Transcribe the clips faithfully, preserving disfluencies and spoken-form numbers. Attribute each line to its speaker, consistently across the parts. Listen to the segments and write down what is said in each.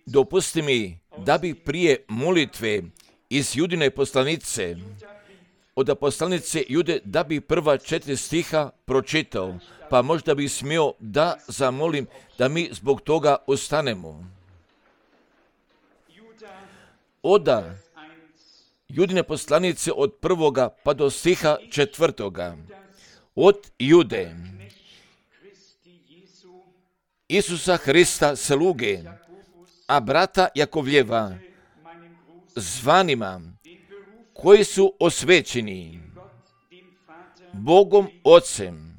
Speaker 1: Dopusti mi da bi prije molitve iz Judine poslanice, od poslanice Jude, da bi prva četiri stiha pročitao, pa možda bi smio da zamolim da mi zbog toga ostanemo. Oda Judine poslanice od prvoga pa do stiha četvrtoga. Od Jude, Isusa Hrista sluge, a brata Jakovljeva, zvanima, koji su osvećeni Bogom Ocem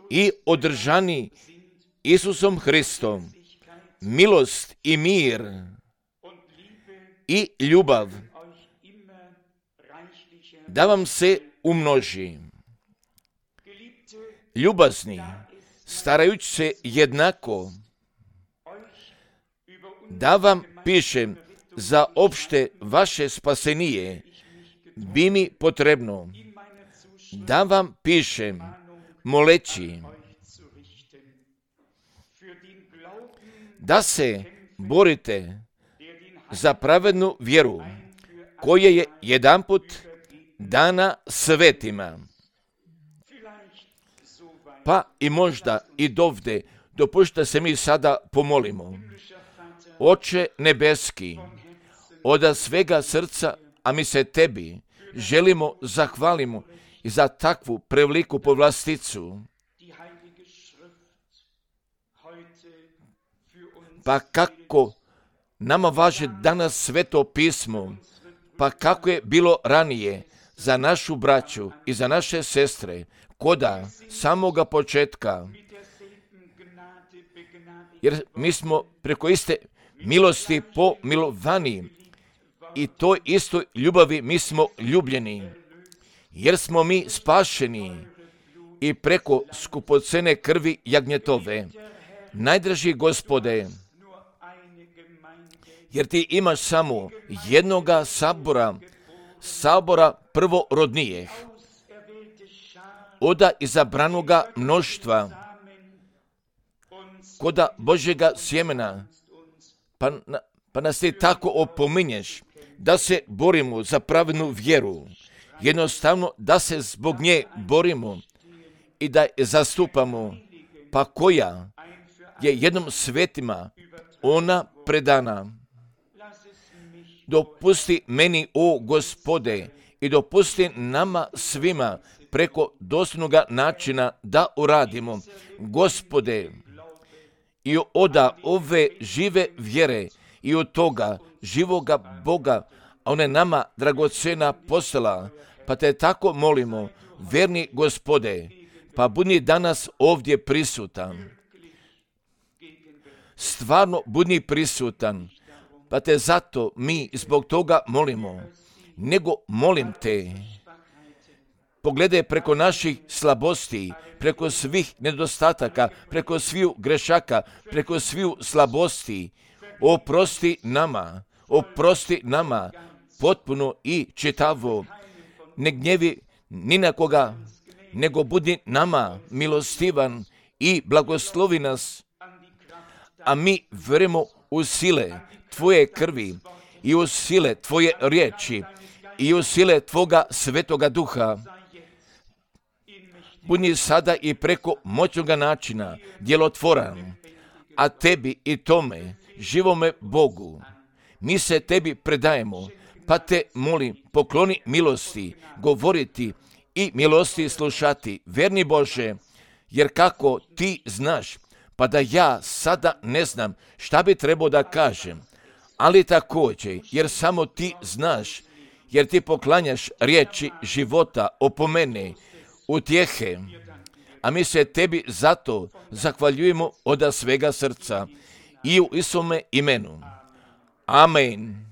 Speaker 1: i održani Isusom Hristom, milost i mir i ljubav da vam se umnoži. Ljubazni, starajući se jednako, da vam pišem za opšte vaše spasenije, bi mi potrebno da vam pišem moleći da se borite za pravednu vjeru koja je jedanput dana svetima. Pa i možda i dovde dopušta se mi sada pomolimo. Oče nebeski, od svega srca, a mi se tebi želimo zahvalimo i za takvu preveliku povlasticu. Pa kako nama važe danas sveto pismo, pa kako je bilo ranije za našu braću i za naše sestre, koda samoga početka, jer mi smo preko iste milosti pomilovani i toj istoj ljubavi mi smo ljubljeni, jer smo mi spašeni i preko skupocene krvi jagnjetove. Najdraži Gospode, jer ti imaš samo jednoga sabora, sabora prvorodnijeh, oda izabranoga mnoštva, koda Božjega sjemena, pa, pa nas ti tako opominješ da se borimo za pravednu vjeru, jednostavno da se zbog nje borimo i da je zastupamo, pa koja je jednom svetima ona predana. Dopusti meni, o Gospode, i dopusti nama svima preko dostojnoga načina da uradimo, Gospode, i oda ove žive vjere i od toga živoga Boga, a on je nama dragocena poslala, pa te tako molimo, verni Gospode, pa budi danas ovdje prisutan. Stvarno budi prisutan, pa te zato mi zbog toga molimo, nego molim te, pogledaj preko naših slabosti, preko svih nedostataka, preko sviju grešaka, preko sviju slabosti, oprosti nama, oprosti nama, potpuno i čitavo, ne gnjevi ni na koga, nego budi nama milostivan i blagoslovi nas, a mi vjerujemo u sile Tvoje krvi i u sile Tvoje riječi i u sile Tvoga svetoga duha. Budi sada i preko moćnoga načina djelotvoran, a tebi i tome, živome Bogu, mi se tebi predajemo, pa te molim, pokloni milosti, govoriti i milosti slušati, verni Bože, jer kako ti znaš, pa da ja sada ne znam šta bi trebao da kažem, ali također, jer samo ti znaš, jer ti poklanjaš riječi života, opomene, utjehe, a mi se tebi zato zahvaljujemo od svega srca i u Isome imenu. Amen.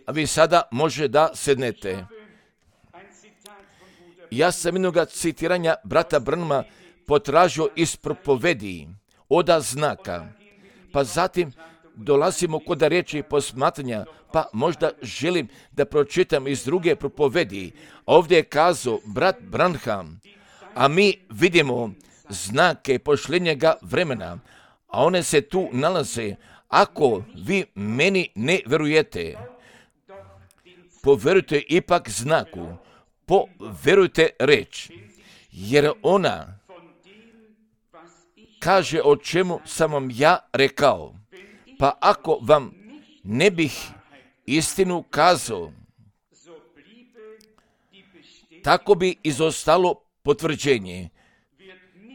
Speaker 1: A vi sada može da sednete. Ja sam jednoga citiranja brata Branhama potražio iz propovedi, oda znaka, pa zatim dolazimo kod riječi posmatranja, pa možda želim da pročitam iz druge propovedi. Ovdje je kazao brat Branham, a mi vidimo znake pošljenjega vremena, a one se tu nalaze. Ako vi meni ne verujete, poverujte ipak znaku, poverujte reč, jer ona kaže o čemu sam vam ja rekao. Pa ako vam ne bih istinu kazao, tako bi izostalo potvrđenje.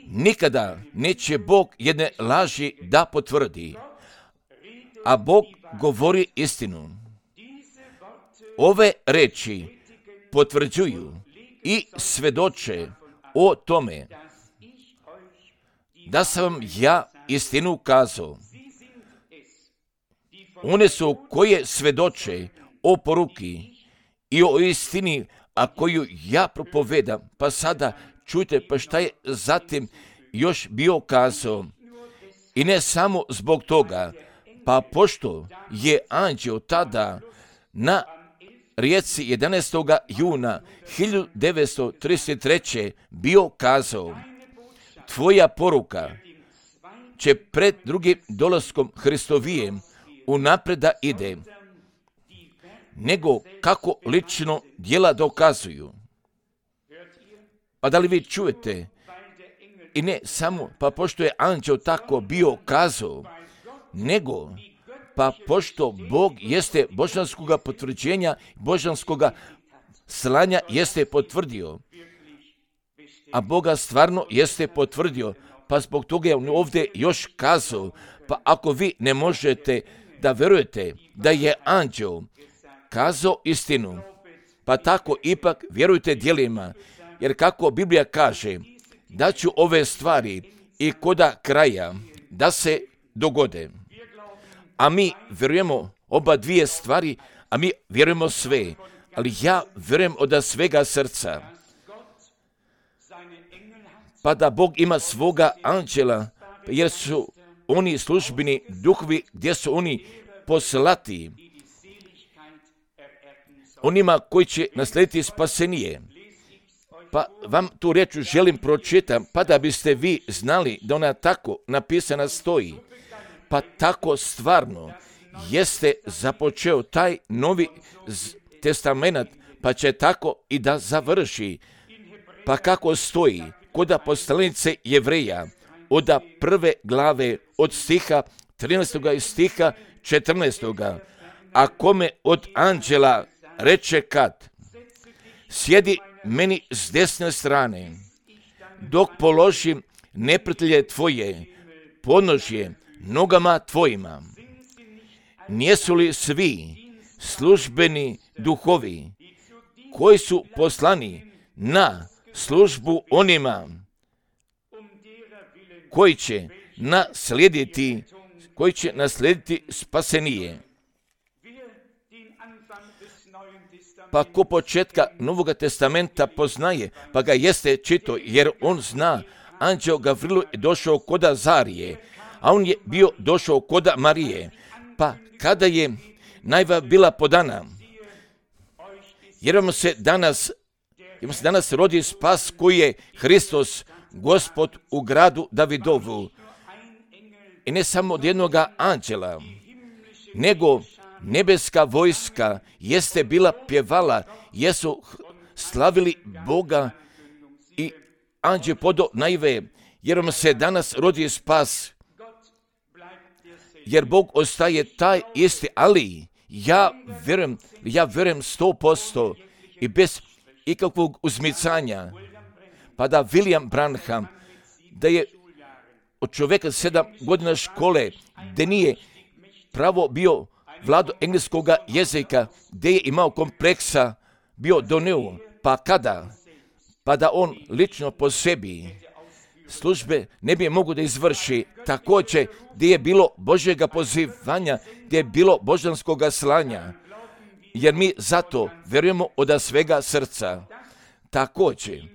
Speaker 1: Nikada neće Bog jedne laži da potvrdi, a Bog govori istinu. Ove reči potvrđuju i svedoče o tome da sam vam ja istinu kazao. One su koje svedoče o poruki i o istini, a koju ja propovedam. Pa sada čujte, pa šta je zatim još bio kazao. I ne samo zbog toga, pa pošto je anđeo tada na rijeci jedanaestog juna hiljadu devetsto trideset treće bio kazao, tvoja poruka će pred drugim dolaskom Hristovijem unaprijed da ide, nego kako lično djela dokazuju. Pa da li vi čujete? I ne samo, pa pošto je anđeo tako bio kazao, nego, pa pošto Bog jeste božanskoga potvrđenja, božanskoga slanja jeste potvrdio, a Boga stvarno jeste potvrdio, pa zbog toga je on ovdje još kazao, pa ako vi ne možete da verujete da je anđeo kazao istinu, pa tako ipak vjerujte djelima, jer kako Biblija kaže, da ću ove stvari i koda kraja da se dogode. A mi vjerujemo oba dvije stvari, a mi vjerujemo sve, ali ja vjerujem od svega srca. Pa da Bog ima svoga anđela, jer su oni službeni duhovi gdje su oni poslati onima koji će naslijediti spasenije. Pa vam tu riječ želim pročitam, pa da biste vi znali da ona tako napisana stoji. Pa tako stvarno jeste započeo taj novi testament, pa će tako i da završi. Pa kako stoji kod poslanice Jevreja, od prve glave, od stiha trinaestog i stiha četrnaestog. A kome od anđela reče kad, sjedi meni s desne strane, dok položim neprijatelje tvoje, podnožje nogama tvojima. Nijesu li svi službeni duhovi koji su poslani na službu onima koji će naslijediti, koji će naslijediti spasenije? Pa ko početka Novog testamenta poznaje, pa ga jeste čito, jer on zna, anđeo Gavrilu je došao kod Azarije, a on je bio došao kod Marije. Pa kada je najava bila podana, jer vam se danas, jer vam se danas rodi spas koji je Hristos, Gospod u gradu Davidovu. I ne samo od jednoga anđela, nego nebeska vojska jeste bila pjevala, jesu slavili Boga i anđeo podo najve, jer vam se danas rodi spas, jer Bog ostaje taj isti, ali ja vjerujem, ja vjerujem sto posto i bez ikakvog uzmicanja, pa da William Branham, da je od čovjeka sedam godina škole, da nije pravo bio vlado engleskog jezika, gdje je imao kompleksa, bio donio, pa kada, pa da on lično po sebi službe ne bi mogu da izvrši, također gdje je bilo Božjega pozivanja, gdje je bilo božanskog slanja, jer mi zato vjerujemo od svega srca. Također,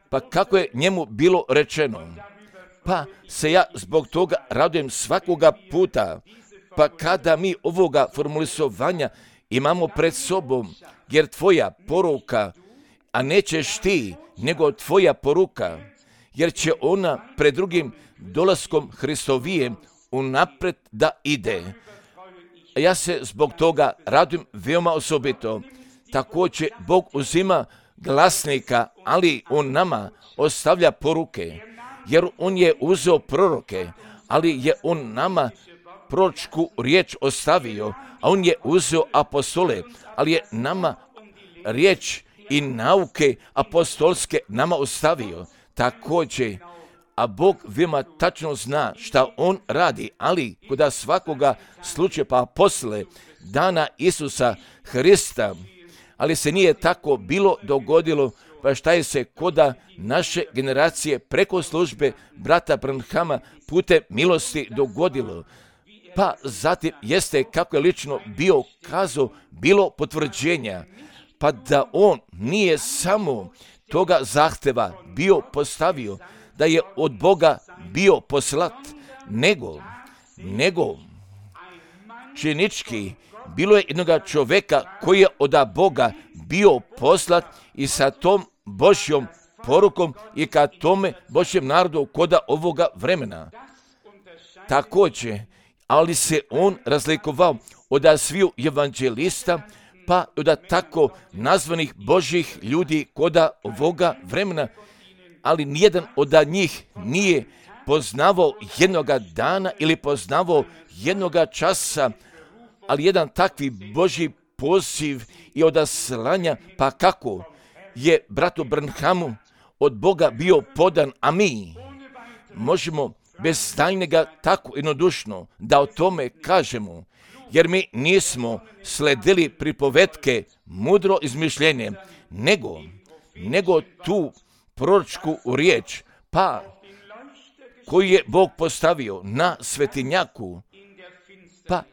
Speaker 1: pa kako je njemu bilo rečeno, pa se ja zbog toga radujem svakoga puta, pa kada mi ovoga formulisovanja imamo pred sobom, jer tvoja poruka, a nećeš ti, nego tvoja poruka, jer će ona pred drugim dolaskom Hristovije unapred da ide. Ja se zbog toga radujem veoma osobito. Također Bog uzima glasnika, ali On nama ostavlja poruke, jer On je uzeo proroke, ali je On nama proročku riječ ostavio, a On je uzeo apostole, ali je nama riječ i nauke apostolske nama ostavio. Također, a Bog veoma tačno zna šta On radi, ali kod svakoga slučaja pa posle dana Isusa Hrista, ali se nije tako bilo dogodilo, pa šta je se koda naše generacije preko službe brata Branhama putem milosti dogodilo. Pa zatim jeste kako je lično bio kazao, bilo potvrđenja, pa da on nije samo toga zahteva bio postavio, da je od Boga bio poslat, nego, nego činički bilo je jednoga čovjeka koji je od Boga bio poslat i sa tom Božjom porukom i ka tome Božjem narodu koda ovoga vremena. Također, ali se on razlikovao od sviju evanđelista, pa od tako nazvanih Božjih ljudi koda ovoga vremena, ali nijedan od njih nije poznavao jednoga dana ili poznavao jednoga časa, ali jedan takvi Božji poziv i odaslanja, pa kako je bratu Branhamu od Boga bio podan, a mi možemo bez tajnega tako jednodušno da o tome kažemo, jer mi nismo sledili pripovetke mudro izmišljenje, nego, nego tu proročku riječ, pa koju je Bog postavio na svetinjaku, pa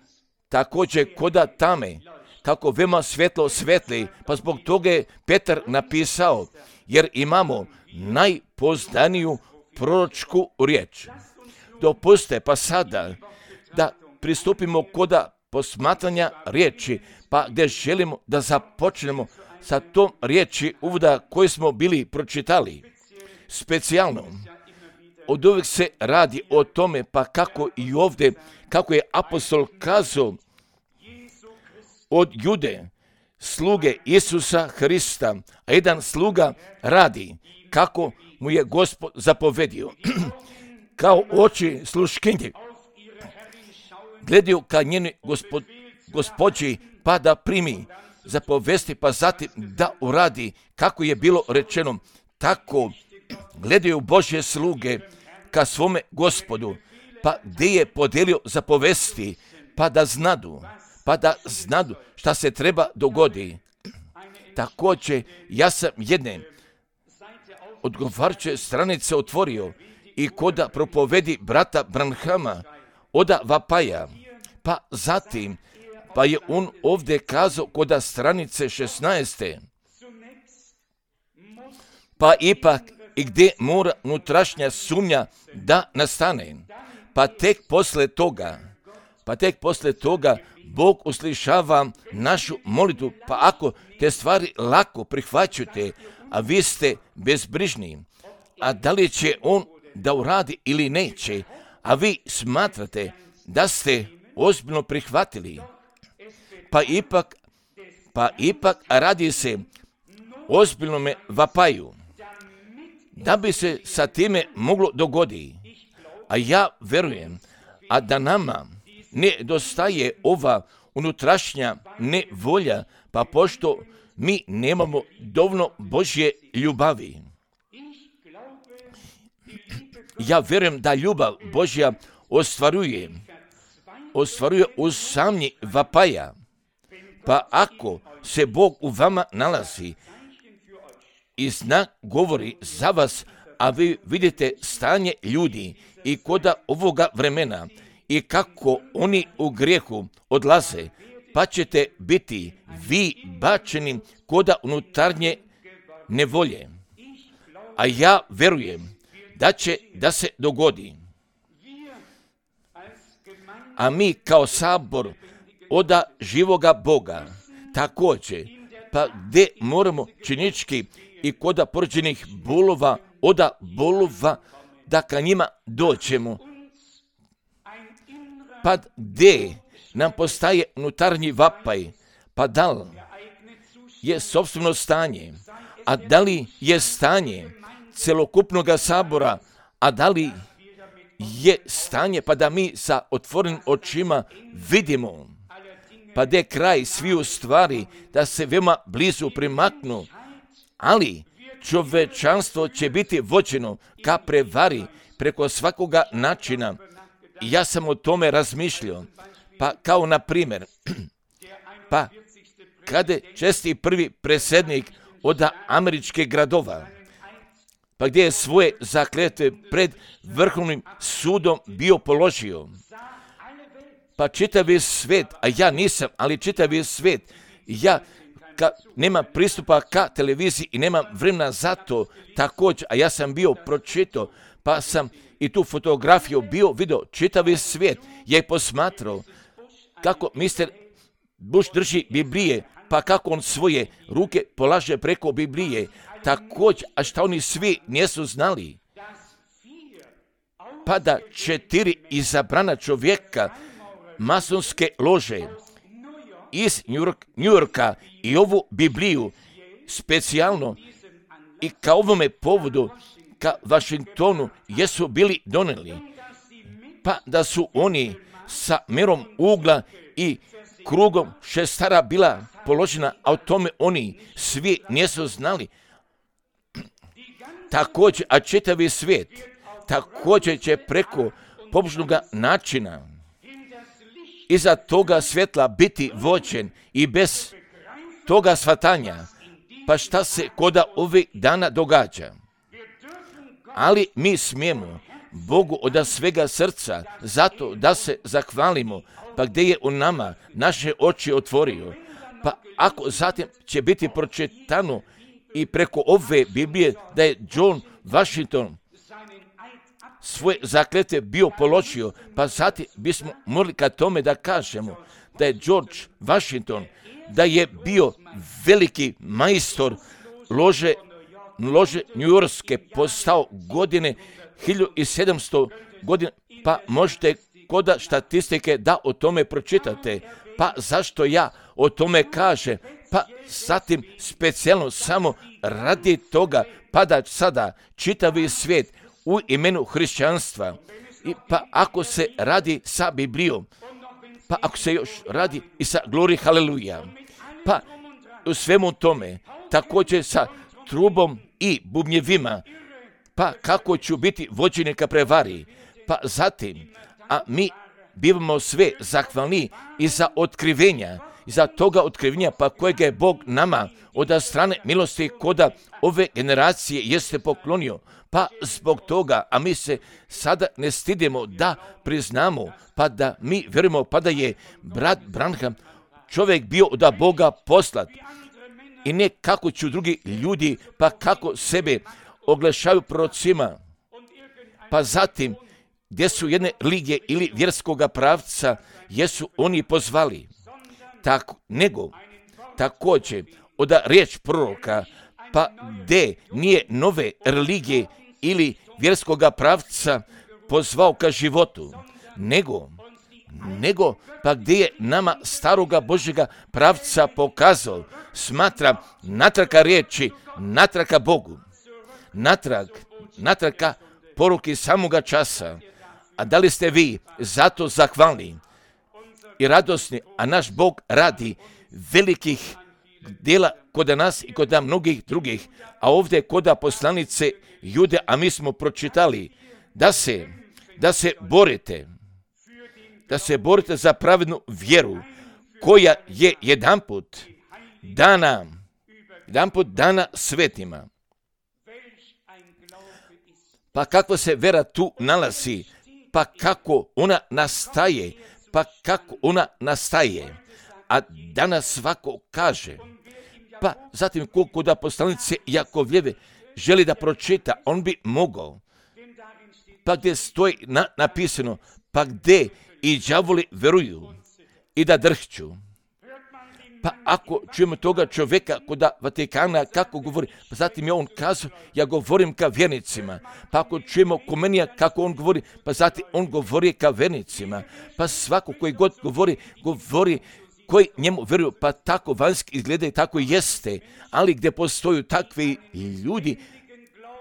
Speaker 1: također koda tame, kako veoma svjetlo svetli, pa zbog toga je Petar napisao, jer imamo najpoznaniju proročku riječ. Dopuste pa sada da pristupimo koda posmatranja riječi, pa gdje želimo da započnemo sa tom riječi uvoda koju smo bili pročitali. Specijalno, od uvijek se radi o tome, pa kako i ovdje, kako je apostol kazao, od Jude, sluge Isusa Hrista, a jedan sluga radi kako mu je Gospod zapovedio. Kao oči sluškinje gledaju ka njeni gospod, gospođi, pa da primi zapovesti, pa zatim da uradi kako je bilo rečeno. Tako gledaju Božje sluge ka svome Gospodu, pa gdje je podelio zapovesti, pa da znadu, pa da znadu šta se treba dogodi. Također, ja sam jedne odgovarajuće stranice otvorio i koda propovedi brata Branhama oda vapaja, pa zatim, pa je on ovdje kazao koda stranice šesnaeste, pa ipak i gdje mora unutrašnja sumnja da nastane, pa tek posle toga, pa tek posle toga Bog uslišava našu molitvu, pa ako te stvari lako prihvaćate, a vi ste bezbrižni, a da li će on da uradi ili neće, a vi smatrate da ste ozbiljno prihvatili, pa ipak, pa ipak radi se ozbiljnome vapaju, da bi se sa time moglo dogoditi. A ja verujem, a da nama ne dostaje ova unutrašnja nevolja, pa pošto mi nemamo dovoljno Božje ljubavi. Ja verujem da ljubav Božja ostvaruje, ostvaruje u samnji vapaja. Pa ako se Bog u vama nalazi i znak govori za vas, a vi vidite stanje ljudi i koda ovoga vremena i kako oni u grijehu odlaze, pa ćete biti vi bačeni koda unutarnje nevolje. A ja verujem da će da se dogodi. A mi kao sabor oda živoga Boga također, pa gdje moramo činički i koda porođenih bolova oda bolova da ka njima dođemo. Pa gdje nam postaje unutarnji vapaj, pa da li je sopstveno stanje, a da li je stanje celokupnog sabora, a da li je stanje pa da mi sa otvorenim očima vidimo, pa gdje je kraj sviju stvari, da se veoma blizu primaknu, ali čovečanstvo će biti vođeno ka prevari preko svakoga načina. I ja sam o tome razmišljao, pa kao na primjer, pa kada je česti prvi predsjednik od američkih gradova, pa gdje je svoje zakletve pred Vrhovnim sudom bio položio, pa čitavi svijet, a ja nisam, ali čitavi svijet, ja ka, nemam pristupa ka televiziji i nemam vremena za to također, a ja sam bio pročitao, pa sam i tu fotografiju bio vidio, čitavi svijet je posmatrao kako mister Bush drži Biblije, pa kako on svoje ruke polaže preko Biblije, također, a šta oni svi nisu znali, pa da četiri izabrana čovjeka masonske lože iz New Yorka i ovu Bibliju specijalno i ka ovome povodu ka Washingtonu jesu bili doneli, pa da su oni sa mjerom ugla i krugom šestara bila položena, a o tome oni svi nisu znali. Također, a čitavi svijet također će preko pobožnog načina iza toga svjetla biti vođen i bez toga shvatanja, pa šta se koda ovih dana događa. Ali mi smijemo Bogu od svega srca zato da se zahvalimo, pa gdje je u nama naše oči otvorio, pa ako zatim će biti pročitano i preko ove Biblije da je John Washington svoje zakletve bio položio, pa zatim bismo morali ka tome da kažemo da je George Washington, da je bio veliki majstor lože, lože njujorske, postao godine hiljadu sedamsto godine, pa možete koda statistike da o tome pročitate. Pa zašto ja o tome kažem? Pa zatim specijalno samo radi toga, pa da sada čitavi svijet u imenu hrišćanstva, i pa ako se radi sa Biblijom, pa ako se još radi i sa glori haleluja, pa u svemu tome, također sa trubom i bubnjevima, pa kako ću biti vođeni ka prevari, pa zatim, a mi bivamo sve zahvalni i za otkrivenja, i za toga otkrivenja pa kojega je Bog nama od strane milosti koda ove generacije jeste poklonio, pa zbog toga, a mi se sada ne stidimo da priznamo, pa da mi vjerujemo, pa da je brat Branham čovjek bio od Boga poslat, i ne kako ću drugi ljudi, pa kako sebe oglašaju prorocima, pa zatim gdje su jedne religije ili vjerskoga pravca, jesu oni pozvali, tako, nego također od riječ proroka, pa gdje nije nove religije ili vjerskoga pravca pozvao ka životu, nego, nego pa gdje je nama staroga Božjega pravca pokazao, smatra natraka riječi, natraka Bogu, natrag, natraka poruki samoga časa. A da li ste vi zato zahvalni i radosni, a naš Bog radi velikih djela kod nas i kod mnogih drugih, a ovdje kod poslanice Jude, a mi smo pročitali da se, da se borite, da se borite za pravednu vjeru koja je jedanput dana, jedanput dana svetima. Pa kako se vera tu nalazi, pa kako ona nastaje, pa kako ona nastaje, a danas svako kaže, pa zatim koliko da poslanice Jakovljeve želi da pročita, on bi mogao, pa gdje stoji na, napisano, pa gdje i đavoli veruju i da drhću, Pa ako čujemo toga čovjeka kod Vatikana kako govori, pa zatim je on kazao, ja govorim ka vjernicima. Pa ako čujemo Komenija kako on govori, pa zatim on govori ka vjernicima. Pa svako koji god govori, govori koji njemu vjeruju, pa tako vanjski izgleda i tako jeste. Ali gdje postoju takvi ljudi,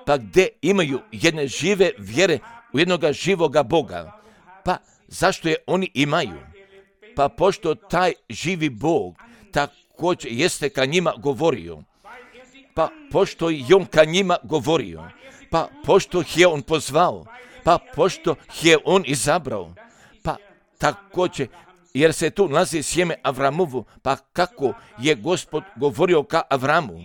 Speaker 1: pa gdje imaju jedne žive vjere u jednoga živoga Boga, pa zašto je oni imaju? Pa pošto taj živi Bog također jeste ka njima govorio, pa pošto je on ka njima govorio, pa pošto je on pozvao, pa pošto je on izabrao, pa također jer se tu nalazi sjeme Avramovu, pa kako je Gospod govorio ka Avramu,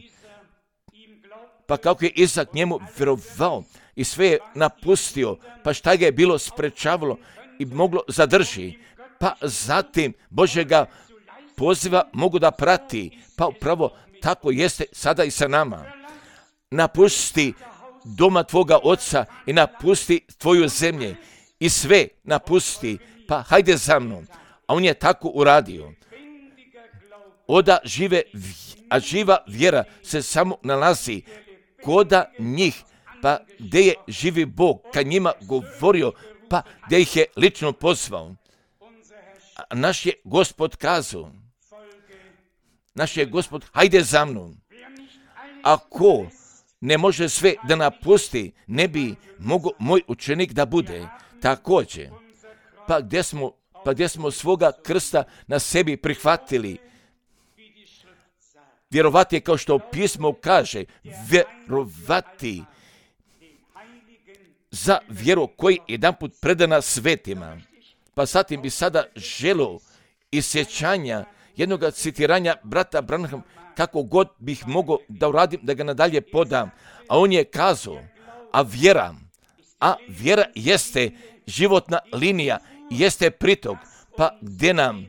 Speaker 1: pa kako je Izak njemu vjerovao i sve je napustio, pa šta ga je bilo sprečavalo i moglo zadrži, pa zatim Božjega poziva mogu da prati, pa upravo tako jeste sada i sa nama. Napusti doma tvoga oca i napusti tvoju zemlje i sve napusti, pa hajde za mnom. A on je tako uradio. Oda žive, a živa vjera se samo nalazi koda njih, pa gdje je živi Bog ka njima govorio, pa gdje ih je lično pozvao. A naš je Gospod kazao, naš je Gospod, hajde za mnom. Ako ne može sve da napusti, ne bi mogao moj učenik da bude također. Pa gdje smo, pa gdje smo svoga krsta na sebi prihvatili, vjerovati je kao što pismo kaže, vjerovati za vjeru koji je jedan put predana svetima. Pa zatim bi sada želio isjećanja jednog citiranja brata Branham, kako god bih mogao da uradim, da ga nadalje podam. A on je kazao, a vjera, a vjera jeste životna linija, jeste pritok, pa gdje nam,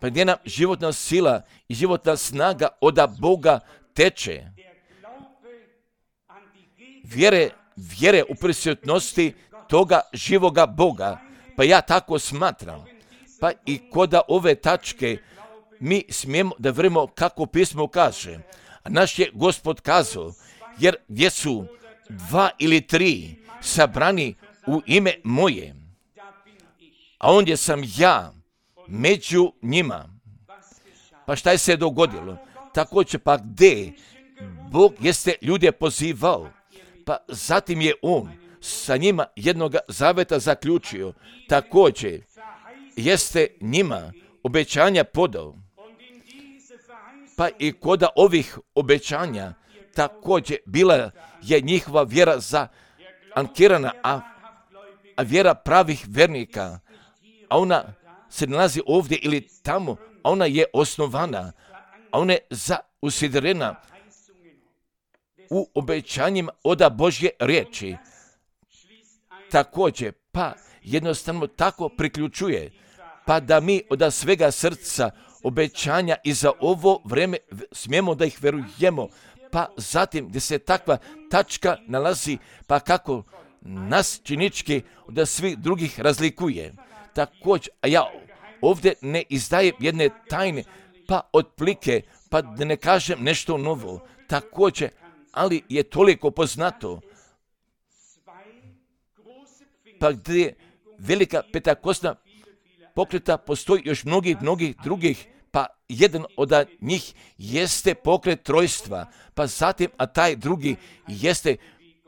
Speaker 1: pa gdje nam životna sila i životna snaga oda Boga teče. Vjere, vjere u prisutnosti toga živoga Boga, pa ja tako smatram. Pa i koda ove tačke mi smijemo da vremo kako pismo kaže. A naš je Gospod kazao, jer gdje su dva ili tri sabrani u ime moje, a ondje sam ja među njima. Pa šta je se dogodilo? Također pa gdje Bog jeste ljude pozivao, pa zatim je on sa njima jednoga zaveta zaključio, također jeste njima obećanja podao. Pa i koda ovih obećanja također bila je njihova vjera zaankirana, a, a vjera pravih vernika, a ona se nalazi ovdje ili tamo, a ona je osnovana, a ona je zausidrena u obećanjima oda Božje riječi. Također, pa jednostavno tako priključuje, pa da mi od svega srca obećanja i za ovo vrijeme smijemo da ih verujemo, pa zatim gdje se takva tačka nalazi, pa kako nas činički od svih drugih razlikuje. Također, a ja ovdje ne izdajem jedne tajne, pa otplike, pa da ne kažem nešto novo, također, ali je toliko poznato, pa gdje je velika petakosna pokreta, postoji još mnogih, mnogih drugih, pa jedan od njih jeste pokret trojstva, pa zatim, a taj drugi jeste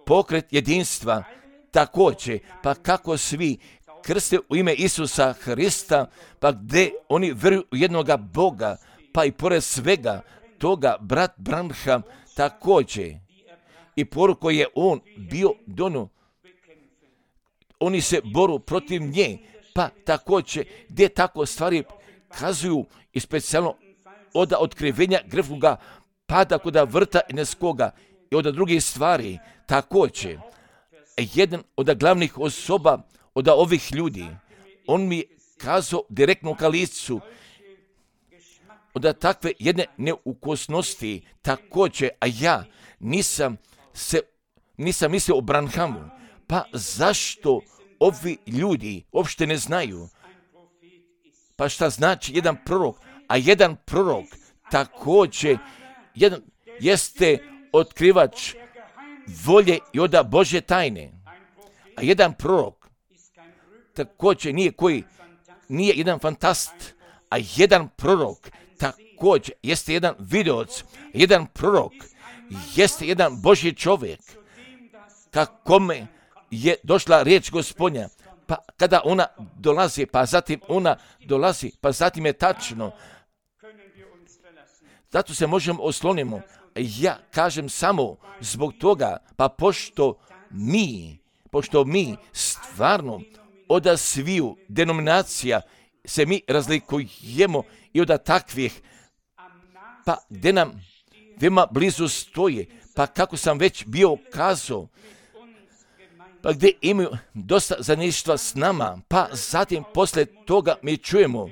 Speaker 1: pokret jedinstva, također, pa kako svi krste u ime Isusa Hrista, pa gdje oni vjeruju u jednoga Boga, pa i pored svega toga brat Branham također i poruku je on bio dono, oni se boru protiv nje, pa također gdje tako stvari kazuju i specijalno od otkrivenja grefnoga pada kod vrta Eneskoga i od drugih stvari. Također, jedan od glavnih osoba od ovih ljudi, on mi kazao direktno ka licu od takve jedne neukosnosti, također, a ja nisam se, nisam mislio o Branhamu, pa zašto ovi ljudi uopšte ne znaju? Pa šta znači jedan prorok, a jedan prorok također jedan, jeste otkrivač volje i oda Božje tajne. A jedan prorok također nije koji, nije jedan fantast, a jedan prorok također jeste jedan videoc, jedan prorok jeste jedan Božji čovjek, kakome je došla riječ Gospodnja, pa kada ona dolazi, pa zatim ona dolazi, pa zatim je tačno. Zato se možemo oslonimo. Ja kažem samo zbog toga, pa pošto mi, pošto mi stvarno od sviju denominacija se mi razlikujemo i od takvih, pa gdje nam veoma blizu stoje, pa kako sam već bio kazao, pa gdje imaju dosta zajedništva s nama, pa zatim posle toga mi čujemo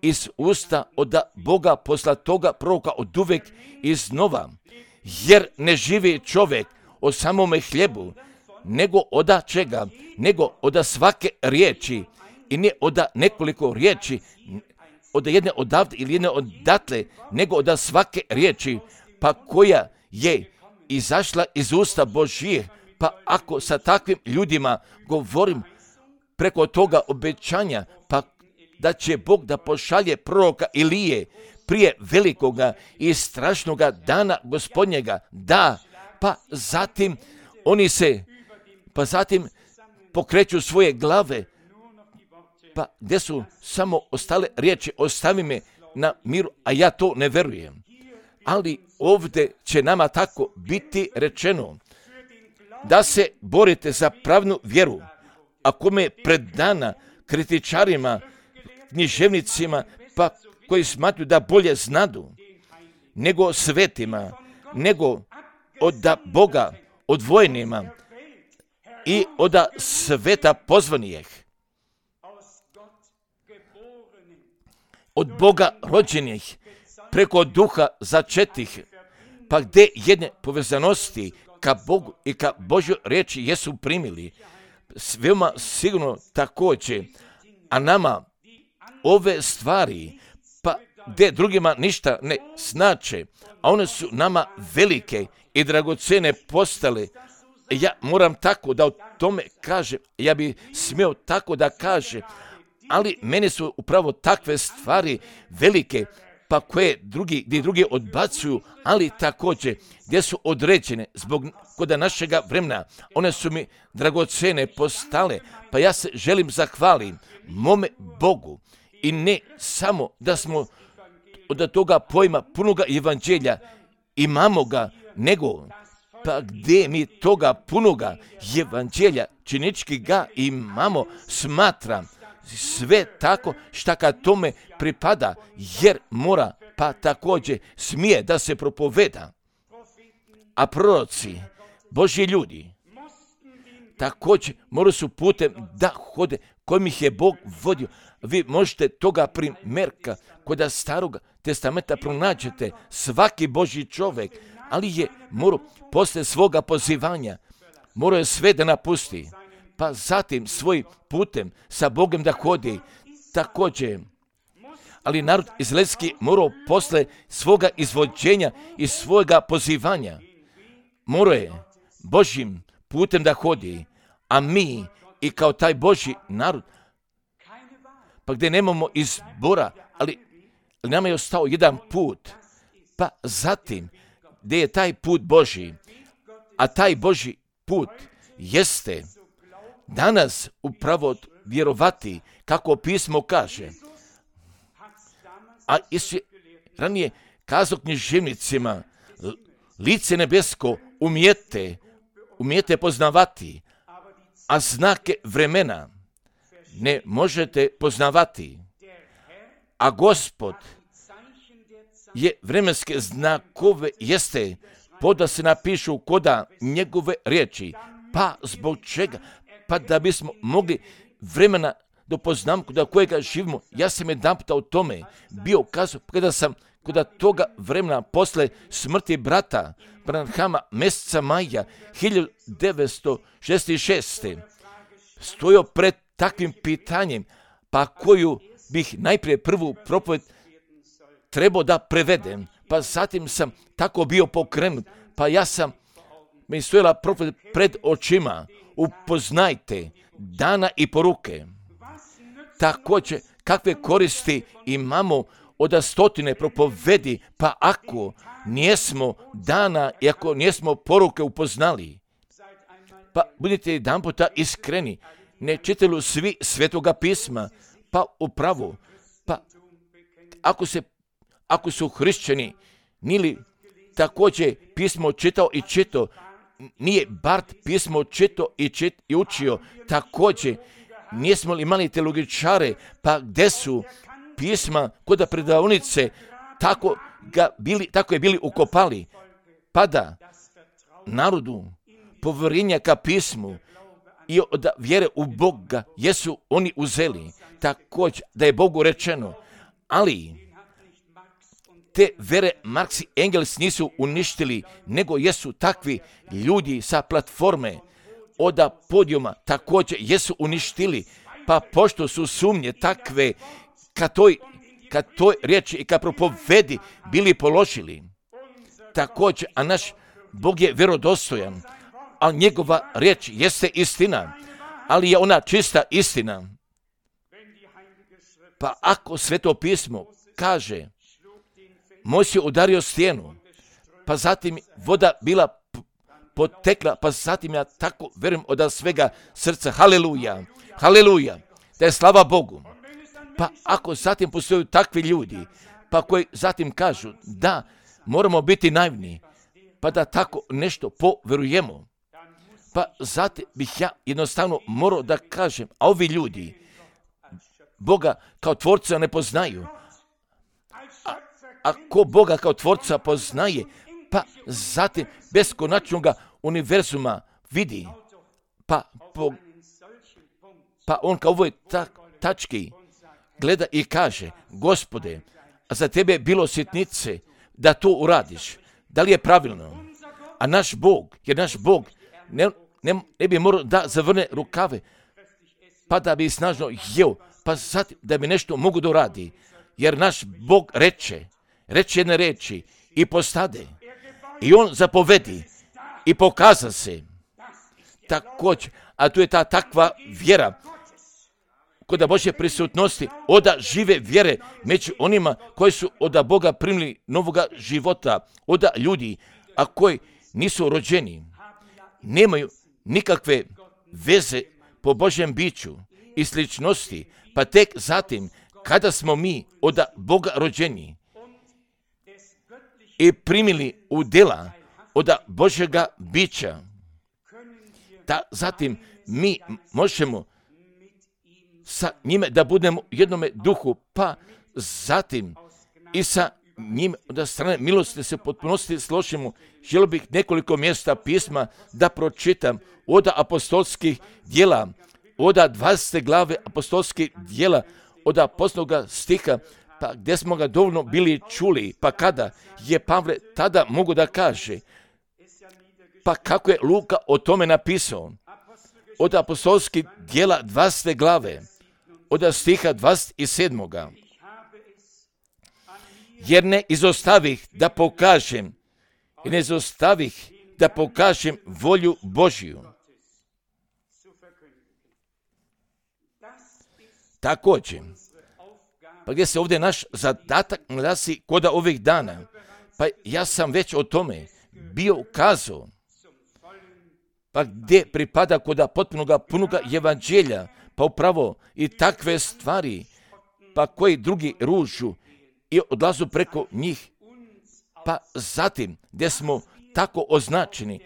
Speaker 1: iz usta od Boga posla toga proroka od uvek iznova, jer ne živi čovjek o samome hljebu, nego oda čega, nego oda svake riječi, i ne oda nekoliko riječi, od jedne odavde ili jedne odatle, nego oda svake riječi, pa koja je izašla iz usta Božjih. Pa ako sa takvim ljudima govorim preko toga obećanja, pa da će Bog da pošalje proroka Ilije prije velikoga i strašnoga dana Gospodnjega, da, pa zatim oni se, pa zatim pokreću svoje glave, pa gdje su samo ostale riječi, ostavi me na miru, a ja to ne verujem. Ali ovdje će nama tako biti rečeno, da se borite za pravnu vjeru, ako me predana kritičarima, književnicima, pa koji smatruju da bolje znadu, nego svetima, nego od Boga odvojenima i od sveta pozvanijih, od Boga rođenih, preko duha začetih, pa gdje jedne povezanosti ka Bogu i ka Božjoj riječi jesu primili, veoma sigurno također, a nama ove stvari, pa gdje drugima ništa ne znače, a one su nama velike i dragocene postale, ja moram tako da o tome kažem, ja bi smio tako da kažem, ali meni su upravo takve stvari velike, pa koje drugi, gdje drugi odbacuju, ali također gdje su određene zbog koda našega vremena, one su mi dragocene postale, pa ja se želim zahvalim mome Bogu i ne samo da smo od toga pojma punoga evanđelja imamo ga, nego pa gdje mi toga punoga evanđelja činički ga imamo, smatram sve tako šta kad tome pripada, jer mora pa također smije da se propoveda. A proroci, Božji ljudi, također moraju su putem da hode kojim ih je Bog vodio. Vi možete toga primjerka kod starog testamenta pronađete svaki Božji čovjek, ali je morao posle svoga pozivanja, morao je sve da napusti, pa zatim svojim putem sa Bogom da hodi također. Ali narod izraelski morao posle svoga izvođenja i svojega pozivanja, morao je Božjim putem da hodi, a mi i kao taj Božji narod, pa gdje nemamo izbora, ali, ali nama je ostao jedan put, pa zatim gdje je taj put Božji, a taj Božji put jeste danas upravo vjerovati kako pismo kaže. A Isus ranije kazao književnicima, lice nebesko umijete, umijete poznavati, a znake vremena ne možete poznavati. A Gospod je vremenske znakove jeste poda se napišu koda njegove riječi. Pa zbog čega? Pa da bismo mogli vremena do poznamku da kojega živimo. Ja sam jedan puta o tome bio kazao kada sam kod toga vremena posle smrti brata Branhama mjeseca maja hiljadu devetsto šezdeset šeste stojao pred takvim pitanjem, pa koju bih najprije prvu propoved trebao da prevedem, pa zatim sam tako bio pokrenut, pa ja sam, mi stojala profet pred očima, upoznajte dana i poruke. Također, kakve koristi imamo od stotine propovedi, pa ako nijesmo dana i ako nijesmo poruke upoznali, pa budite jedan puta iskreni, ne čitaju svi Svetoga pisma, pa upravo, pa ako, se, ako su hrišćani, nili također pismo čitao i čitao, nije Bart pismo čitao i, čit, i učio, također nismo li imali teologičare, pa gdje su pisma kod predavnice, tako, ga bili, tako je bili ukopali, pa da narodu povjerenja ka pismu i od vjere u Boga jesu oni uzeli, također da je Bogu rečeno, ali te vere Marx i Engels nisu uništili, nego jesu takvi ljudi sa platforme od podijuma također jesu uništili, pa pošto su sumnje takve ka toj, ka toj riječi i ka propovedi bili položili, također, a naš Bog je vjerodostojan, a njegova riječ jeste istina, ali je ona čista istina. Pa ako Sveto pismo kaže, Mojsije je udario stijenu, pa zatim voda bila potekla, pa zatim ja tako vjerujem od svega srca, haleluja, haleluja, da je slava Bogu. Pa ako zatim postoju takvi ljudi, pa koji zatim kažu da moramo biti naivni, pa da tako nešto povjerujemo, pa zatim bih ja jednostavno morao da kažem, a ovi ljudi Boga kao tvorca ne poznaju, a, a ko Boga kao tvorca poznaje, pa zatim beskonačnoga univerzuma vidi, pa, po, pa on kao ovoj ta, tački gleda i kaže, Gospode, a za tebe je bilo sitnice da to uradiš, da li je pravilno? A naš Bog, jer naš Bog ne, ne, ne bi morao da zavrne rukave, pa da bi snažno jeo, pa zatim da bi nešto mogu da uradi, jer naš Bog reče, reče jedne reči i postade, i on zapovedi i pokaza se. Također, a tu je ta takva vjera kod Božje prisutnosti, oda žive vjere među onima koji su od Boga primili novoga života, oda ljudi, a koji nisu rođeni, nemaju nikakve veze po Božjem biću i sličnosti, pa tek zatim, kada smo mi od Boga rođeni i primili u djela od Božjega bića, da zatim mi možemo sa njime da budemo u jednome duhu, pa zatim i sa njim od strane milosti se potpunosti složimo. Želio bih nekoliko mjesta pisma da pročitam od apostolskih djela, od dvadesete glave apostolskih djela, od apostolskog stiha, pa gdje smo ga dovoljno bili čuli, pa kada je Pavle tada mogu da kaže, pa kako je Luka o tome napisao, od apostolskih djela dvadesete glave, od stiha dvadeset sedam. Jer ne izostavih da pokažem, i ne izostavih da pokažem volju Božju. Također, pa gdje se ovdje naš zadatak glasi kod ovih dana, pa ja sam već o tome bio ukazao, pa gdje pripada kod potpunoga punoga evanđelja, pa upravo i takve stvari, pa koji drugi ružu i odlazu preko njih, pa zatim gdje smo tako označeni,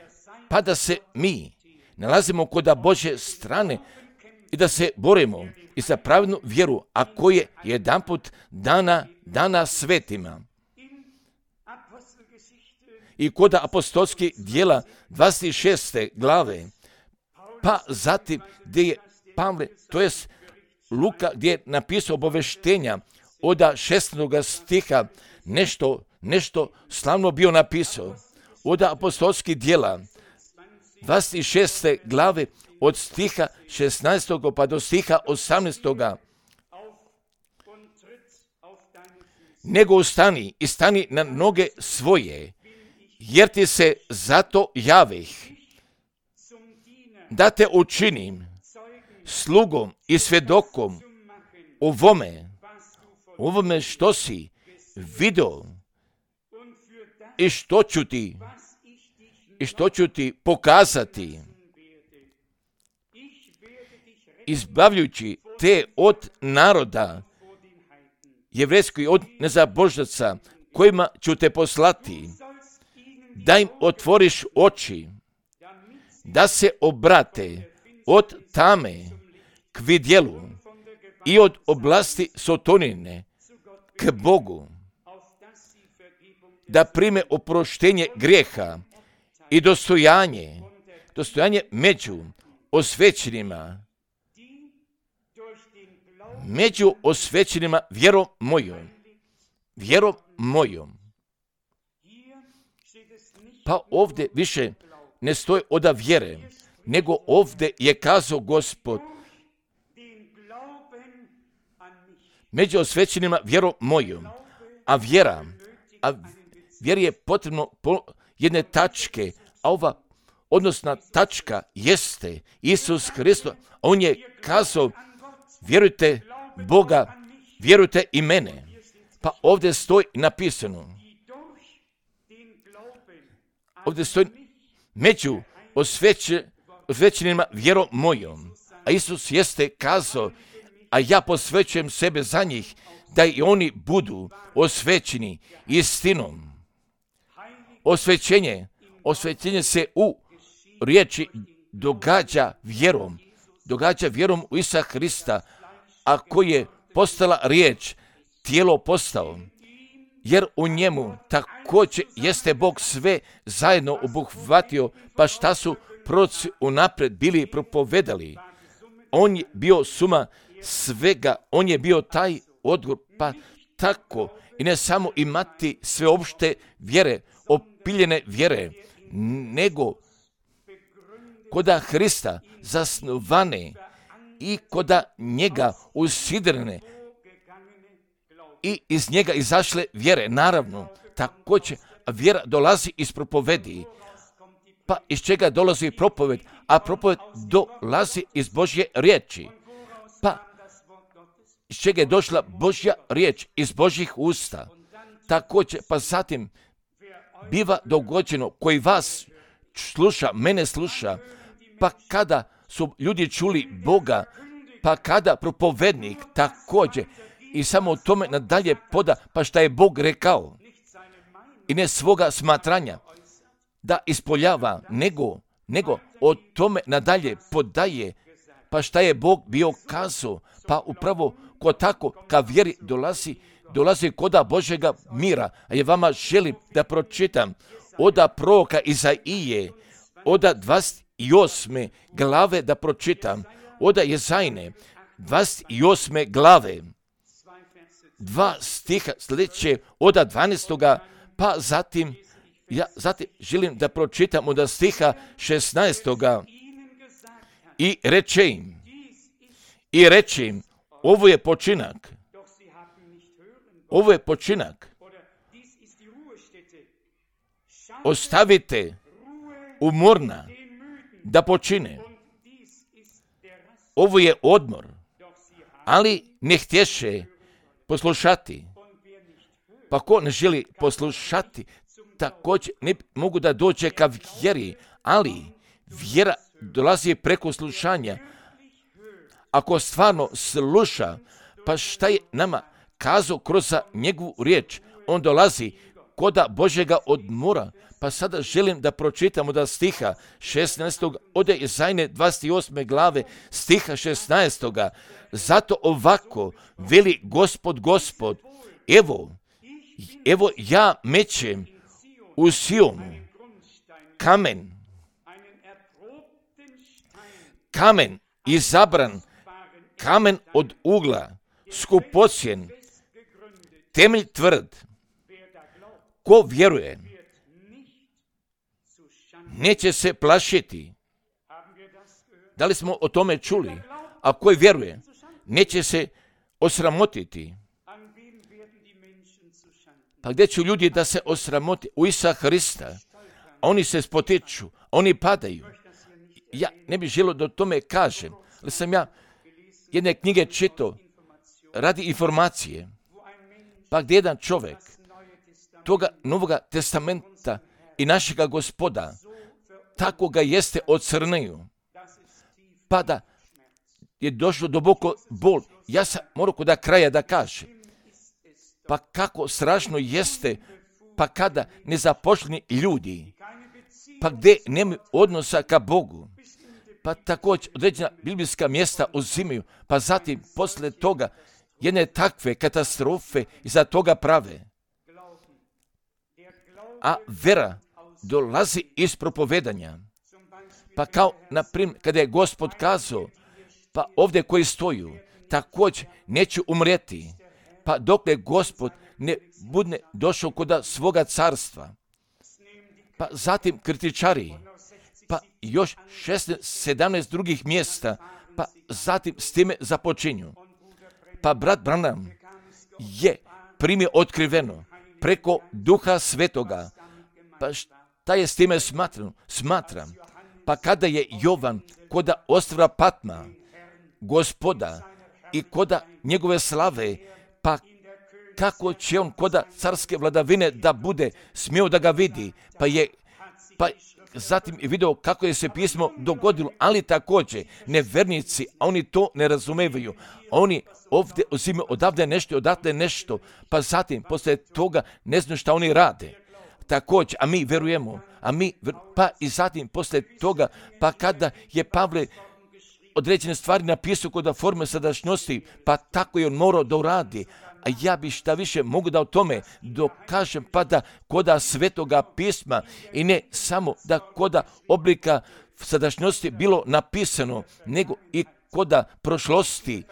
Speaker 1: pa da se mi nalazimo kod Božje strane i da se borimo i za pravilnu vjeru, a koje je jedanput dana, dana svetima. I kod apostolskih djela dvadeset šeste glave, pa zatim gdje je Pavle, to jest Luka, gdje je napisao obaveštenja od šesnaestog stiha, nešto, nešto slavno bio napisao. Od apostolskih djela dvadeset šeste glave, od stiha šesnaestog pa do stiha osamnaestog. nego ustani i stani na noge svoje, jer ti se zato javih, da te učinim slugom i svjedokom ovome, ovome što si vidio i što ću ti, i što ću ti pokazati, izbavljujući te od naroda jevrejskih, od nezabožaca, kojima ću te poslati, da im otvoriš oči, da se obrate od tame k vidjelu i od oblasti sotonine k Bogu, da prime oproštenje grijeha i dostojanje, dostojanje među osvećenima, među osvećenima vjerom mojom, vjerom mojom. Pa ovdje više ne stoji oda vjere, nego ovdje je kazao Gospod, među osvećenima vjerom mojom, a vjera, a vjeri je potrebno po jedne tačke, a ova odnosna tačka jeste Isus Hristos. On je kazao, vjerujte Boga, vjerujte i mene. Pa ovdje stoji napisano, ovdje stoji među osveće, osvećenima vjerom mojom. A Isus jeste kazao, a ja posvećujem sebe za njih, da i oni budu osvećeni istinom. Osvećenje, osvećenje se u riječi događa vjerom, događa vjerom u Isusa Hrista, a koji je postala riječ, tijelo postao, jer u njemu također jeste Bog sve zajedno obuhvatio, pa šta su proroci unaprijed bili propovedali. On je bio suma svega, on je bio taj odgovor, pa tako i ne samo imati sveopšte vjere, opiljene vjere, nego koda Hrista zasnovane i koda njega usidrene i iz njega izašle vjere. Naravno, također vjera dolazi iz propovedi. Pa iz čega dolazi propoved? A propoved dolazi iz Božje riječi. Pa iz čega je došla Božja riječ? Iz Božjih usta. Također, pa zatim biva dogođeno koji vas sluša, mene sluša, pa kada su ljudi čuli Boga, pa kada propovednik također i samo o tome nadalje poda, pa šta je Bog rekao i ne svoga smatranja da ispoljava, nego, nego o tome nadalje podaje, pa šta je Bog bio kazao, pa upravo ko tako ka vjeri dolazi, dolazi koda Božjega mira. A ja vama želim da pročitam oda proroka Izaije, oda dvadeset osme glave da pročitam, oda Jezajne, dvadeset osme glave, dva stiha sljedeće, oda dvanaestoga, pa zatim, ja zatim želim da pročitam oda stiha šesnaestoga i reče im, i reče im, ovo je počinak, ovo je počinak, ostavite umorna da počine. Ovo je odmor, ali ne htješe poslušati. Pa ko ne želi poslušati, također ne mogu da dođe ka vjeri, ali vjera dolazi preko slušanja. Ako stvarno sluša, pa šta je nama kazao kroz njegovu riječ, on dolazi koda Božjega odmora. Pa sada želim da pročitam od stiha šesnaestog ode Jezajne dvadeset osme glave stiha šesnaestog. Zato ovako veli Gospod, Gospod, evo, evo ja mećem u Sionu kamen, kamen izabran, kamen od ugla, skupocjen, temelj tvrd. Ko vjeruje, neće se plašiti. Da li smo o tome čuli? A koji vjeruje, neće se osramotiti. Pa gdje će ljudi da se osramoti u Isusa Hrista? Oni se spotiču, oni padaju. Ja ne bih želio da o tome kažem, ali sam ja jedne knjige čitao radi informacije. Pa gdje jedan čovjek toga Novoga testamenta i našega Gospoda tako ga jeste ocrnio, pa da je došlo duboko bol. Ja sam morao kod kraja da kažem, pa kako strašno jeste, pa kada nezaposleni ljudi, pa gdje nemaju odnosa ka Bogu, pa također određena biblijska mjesta uzimaju, pa zatim posle toga jedne takve katastrofe iza toga prave. A vera dolazi iz propovedanja. Pa kao, na primjer, kada je Gospod kazao, pa ovdje koji stoju, također neću umrijeti, pa dokle Gospod ne bude došao kod svoga carstva. Pa zatim kritičari, pa još šesnaest sedamnaest drugih mjesta, pa zatim s time započinju. Pa brat Branham je primio otkriveno preko Duha Svetoga. Pa šta je s time smatram? Smatram. Pa kada je Jovan koda ostrva Patma, Gospoda i koda njegove slave, pa kako će on koda carske vladavine da bude smio da ga vidi, pa je pa zatim je video kako je se pismo dogodilo, ali također nevernici, a oni to ne razumevaju. Oni ovdje uzimaju odavde nešto, odatle nešto, pa zatim poslije toga ne znaju šta oni rade. Također, a mi verujemo, a mi, pa i zatim poslije toga, pa kada je Pavle određene stvari napisao kod forme sadašnjosti, pa tako je on morao da uradi. A ja bi šta više mogu da o tome dokažem, pa da koda Svetoga pisma i ne samo da koda oblika sadašnjosti bilo napisano, nego i koda prošlosti,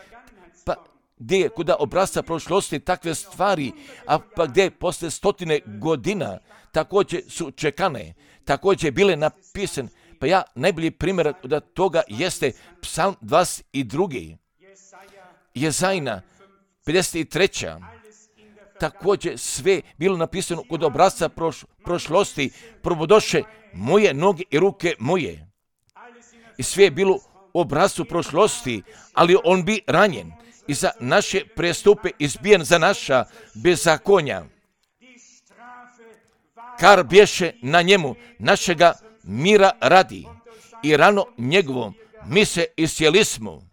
Speaker 1: pa gdje je koda obrasca prošlosti takve stvari, a pa gdje je posle stotine godina također su čekane, također bile napisane. Pa ja najbolji primjer da toga jeste Psalm dvadeset dva. Jezajna pedeset tri. Također sve bilo napisano kod obrazca proš, prošlosti, probodoše moje noge i ruke moje. I sve je bilo u obrazcu prošlosti, ali on bi ranjen i za naše prestupe izbijen za naša bezakonja. Kar bješe na njemu našega mira radi i rano njegovom mi se iscijelismo.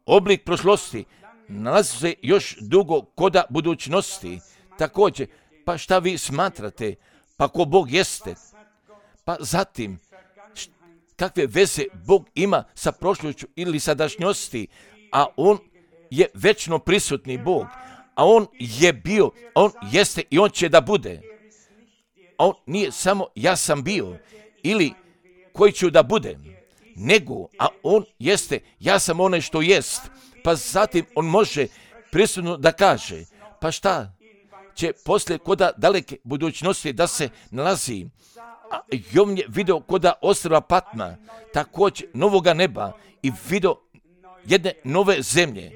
Speaker 1: Oblik prošlosti nalazi se još dugo koda budućnosti. Također, pa šta vi smatrate? Pa ko Bog jeste? Pa zatim, kakve veze Bog ima sa prošlošću ili sadašnjosti? A on je večno prisutni Bog. A on je bio, on jeste i on će da bude. A on nije samo ja sam bio ili koji ću da budem, nego, a on jeste, ja sam onaj što jest. Pa zatim on može prisutno da kaže, pa šta će poslije koda daleke budućnosti da se nalazi. A Jovan je video koda ostrva Patma, također novoga neba i video jedne nove zemlje.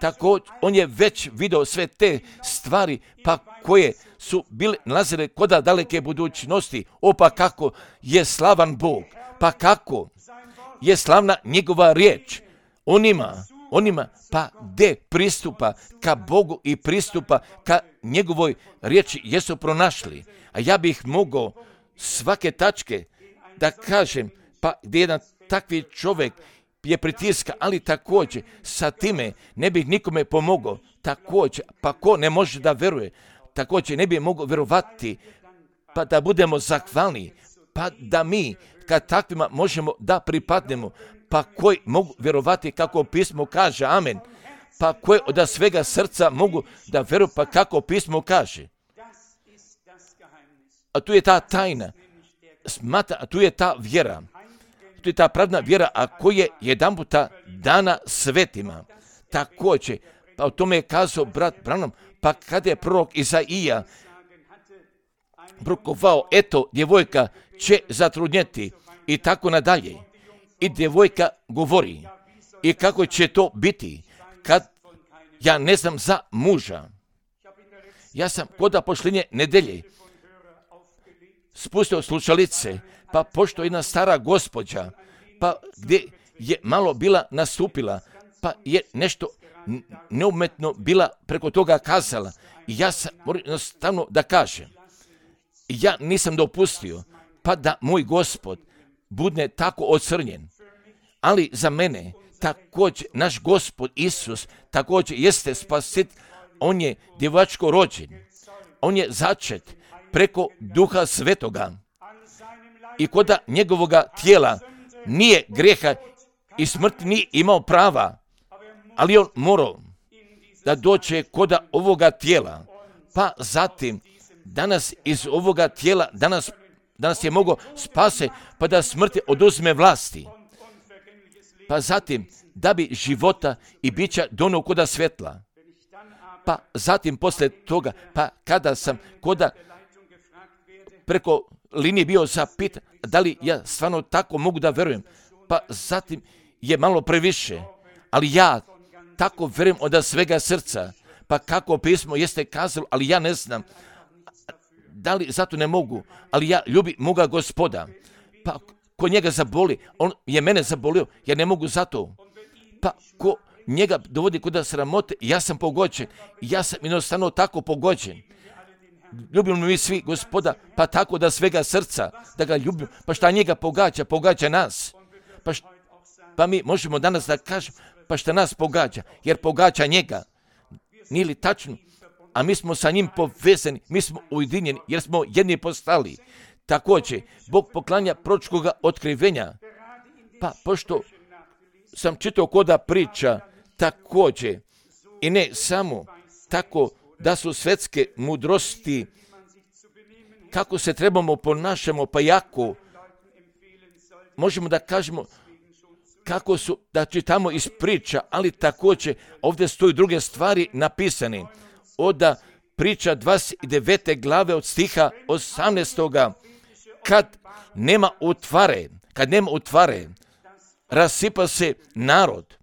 Speaker 1: Također on je već video sve te stvari pa koje su bile nalazile koda daleke budućnosti. O pa kako je slavan Bog, pa kako je slavna njegova riječ. Onima, onima pa gdje pristupa ka Bogu i pristupa ka njegovoj riječi jesu pronašli. A ja bih mogao svake tačke da kažem, pa gdje jedan takvi čovjek je pritiska, ali također sa time ne bih nikome pomogao. Također, pa ko ne može da veruje, također ne bi mogao verovati, pa da budemo zahvalni, pa da mi kad takvima možemo da pripadnemo, pa koji mogu verovati kako pismo kaže, amen, pa koji od svega srca mogu da veruju, pa kako pismo kaže. A tu je ta tajna, smata, a tu je ta vjera. To je ta pravna vjera, a koja je jedan puta dana svetima. Također, pa o tome je kazao brat Branham, pa kada je prorok Izaija prorokovao, eto, djevojka će zatrudnjeti i tako nadalje. I djevojka govori, i kako će to biti kad ja ne znam za muža. Ja sam kod pošljenje nedelje spustio slušalice, pa pošto jedna stara gospođa, pa gdje je malo bila nastupila, pa je nešto neumetno bila preko toga kazala. I ja sam moram jednostavno da kažem, ja nisam dopustio, pa da moj Gospod bude tako ocrnjen. Ali za mene također naš Gospod Isus također jeste spasit. On je djevačko rođen. On je začet preko Duha Svetoga. I koda njegovoga tijela nije grijeha i smrt nije imao prava, ali on morao da dođe koda ovoga tijela. Pa zatim danas iz ovoga tijela, danas, danas je mogao spase, pa da smrti oduzme vlasti. Pa zatim da bi života i bića donio koda svjetla. Pa zatim poslije toga, pa kada sam koda preko linije bio zapitan, da li ja stvarno tako mogu da verujem, pa zatim je malo previše, ali ja tako verujem od svega srca, pa kako pismo jeste kazalo, ali ja ne znam, da li zato ne mogu, ali ja ljubim moga Gospoda, pa ko njega zaboli, on je mene zabolio, ja ne mogu zato, pa ko njega dovodi kod sramote, ja sam pogođen, ja sam jednostavno tako pogođen. Ljubimo mi svi Gospoda, pa tako da svega srca, da ga ljubimo, pa šta njega pogađa, pogađa nas. Pa, šta, pa mi možemo danas da kažemo, pa šta nas pogađa, jer pogađa njega. Nije li tačno? A mi smo sa njim povezani, mi smo ujedinjeni, jer smo jedni postali. Također, Bog poklanja proročkoga otkrivenja, pa pošto sam čitao koda priča, također, i ne samo tako da su svetske mudrosti, kako se trebamo ponašamo, pa jako možemo da kažemo kako su, da čitamo iz priča, ali također ovdje stoji druge stvari napisane. Od priča dvadeset devete glave od stiha osamnaestoga kad nema utvare, kad nema utvare, rasipa se narod.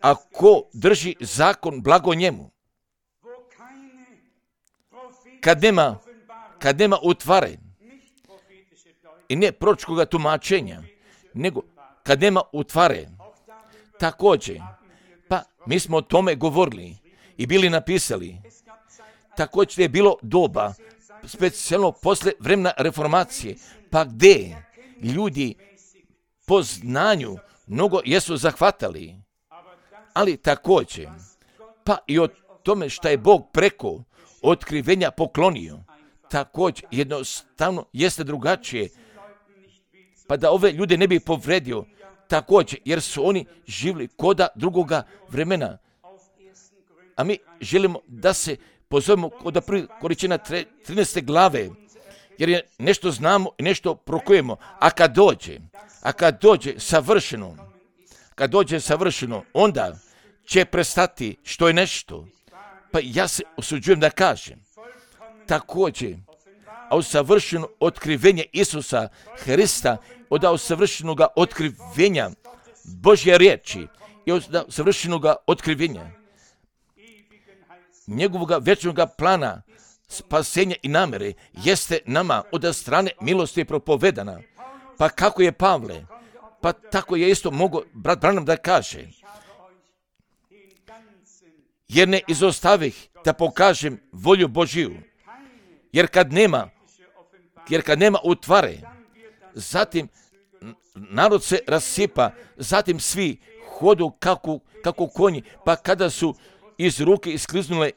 Speaker 1: A ko drži zakon, blago njemu. Kad nema, kad nema utvare, i ne proročkoga tumačenja, nego kad nema utvare, također, pa mi smo o tome govorili i bili napisali, također je bilo doba, specijalno posle vremena reformacije, pa gdje ljudi po znanju mnogo jesu zahvatali, ali također, pa i o tome šta je Bog preko otkrivenja poklonio, također jednostavno jeste drugačije, pa da ove ljude ne bi povredio, također, jer su oni živjeli koda drugoga vremena. A mi želimo da se pozovemo koda prvi Korinćana trinaeste glave, jer je nešto znamo i nešto prokujemo, a kad dođe, a kad dođe savršeno, kad dođe savršeno, onda će prestati što je nešto. Pa ja se osuđujem da kažem, također, a u savršeno otkrivenje Isusa Hrista, od savršenog otkrivenja Božje riječi i od savršenog otkrivenja njegovog večnog plana spasenja i namere jeste nama od strane milosti propovedana. Pa kako je Pavle, pa tako je isto mogo brat Branham da kaže, jer ne izostavih da pokažem volju Božiju, jer kad nema, jer kad nema utvare, zatim narod se rasipa, zatim svi hodu kako, kako konji, pa kada su iz ruke iskliznule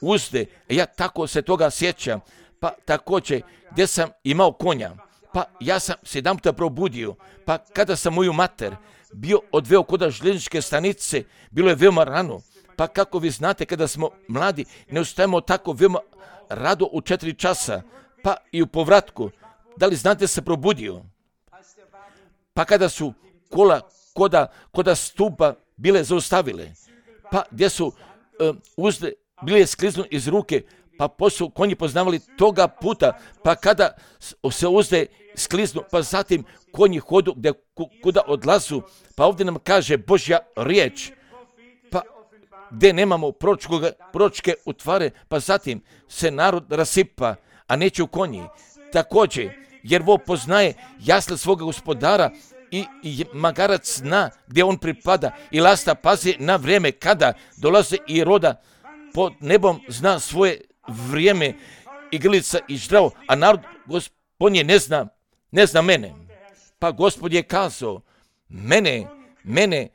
Speaker 1: uzde, ja tako se toga sjećam, pa također gdje sam imao konja, pa ja sam se jedan puta probudio, pa kada sam moju mater bio odveo kod željezničke stanice, bilo je veoma rano, pa kako vi znate kada smo mladi, ne ustajemo tako veoma rado u četiri časa, pa i u povratku, da li znate se probudio? Pa kada su kola koda, koda stupa bile zaustavile, pa gdje su um, uzde bile skliznu iz ruke, pa posu konji poznavali toga puta, pa kada se uzde skliznu, pa zatim konji hodu gdje kuda odlazu, pa ovdje nam kaže Božja riječ, pa gdje nemamo proročke utvare, pa zatim se narod rasipa, a neće u konji. Također, jer vo poznaje jasle svoga gospodara i, i magarac zna gdje on pripada i lasta pazi na vrijeme kada dolaze i roda pod nebom zna svoje vrijeme i grlica i ždravo, a narod gospodnje ne zna, ne zna mene. Pa Gospod je kazao, mene, mene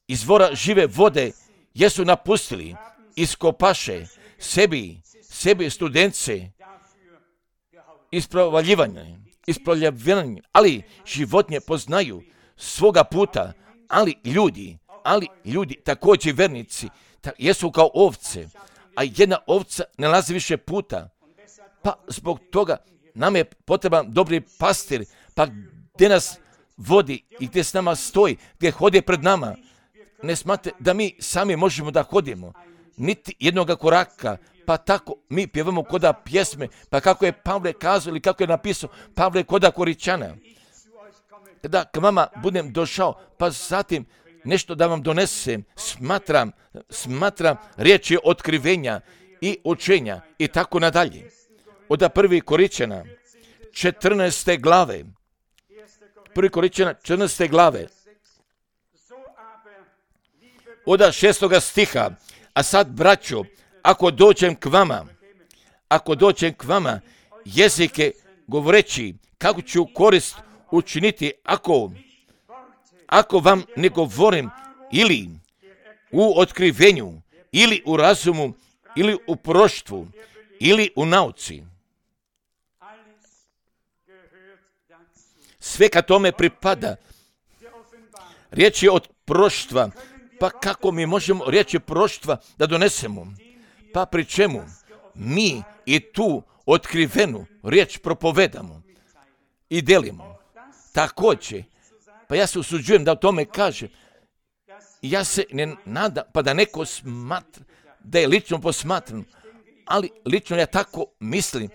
Speaker 1: izvora žive vode jesu napustili, iskopaše sebi, sebi studence, ispravljivanje, ispravljivanje, ali životinje poznaju svoga puta, ali ljudi, ali ljudi, također vernici, ta, jesu kao ovce, a jedna ovca ne nalazi više puta, pa zbog toga nam je potreban dobri pastir, pa gdje nas vodi i gdje s nama stoji, gdje hodi pred nama. Ne smate da mi sami možemo da hodimo, niti jednoga koraka, pa tako mi pjevamo koda pjesme, pa kako je Pavle kazao ili kako je napisao Pavle koda Koričana. Kada k vama budem došao, pa zatim nešto da vam donesem, smatram, smatram riječi otkrivenja i učenja i tako nadalje. Od prvi Koričana, četrnaeste glave, prvi Koričana, četrnaeste glave, od šestoga stiha, a sad, braćo, ako dođem k vama, ako dođem k vama, jezike govoreći, kako ću korist učiniti, ako, ako vam ne govorim ili u otkrivenju, ili u razumu, ili u proroštvu, ili u nauci. Sve ka tome pripada. Riječ je od proroštva. Pa kako mi možemo riječi proroštva da donesemo? Pa pri čemu mi i tu otkrivenu riječ propovedamo i delimo. Također, pa ja se usuđujem da o tome kažem, ja se ne nadam, pa da neko smatra, da je lično posmatran, ali lično ja tako mislim,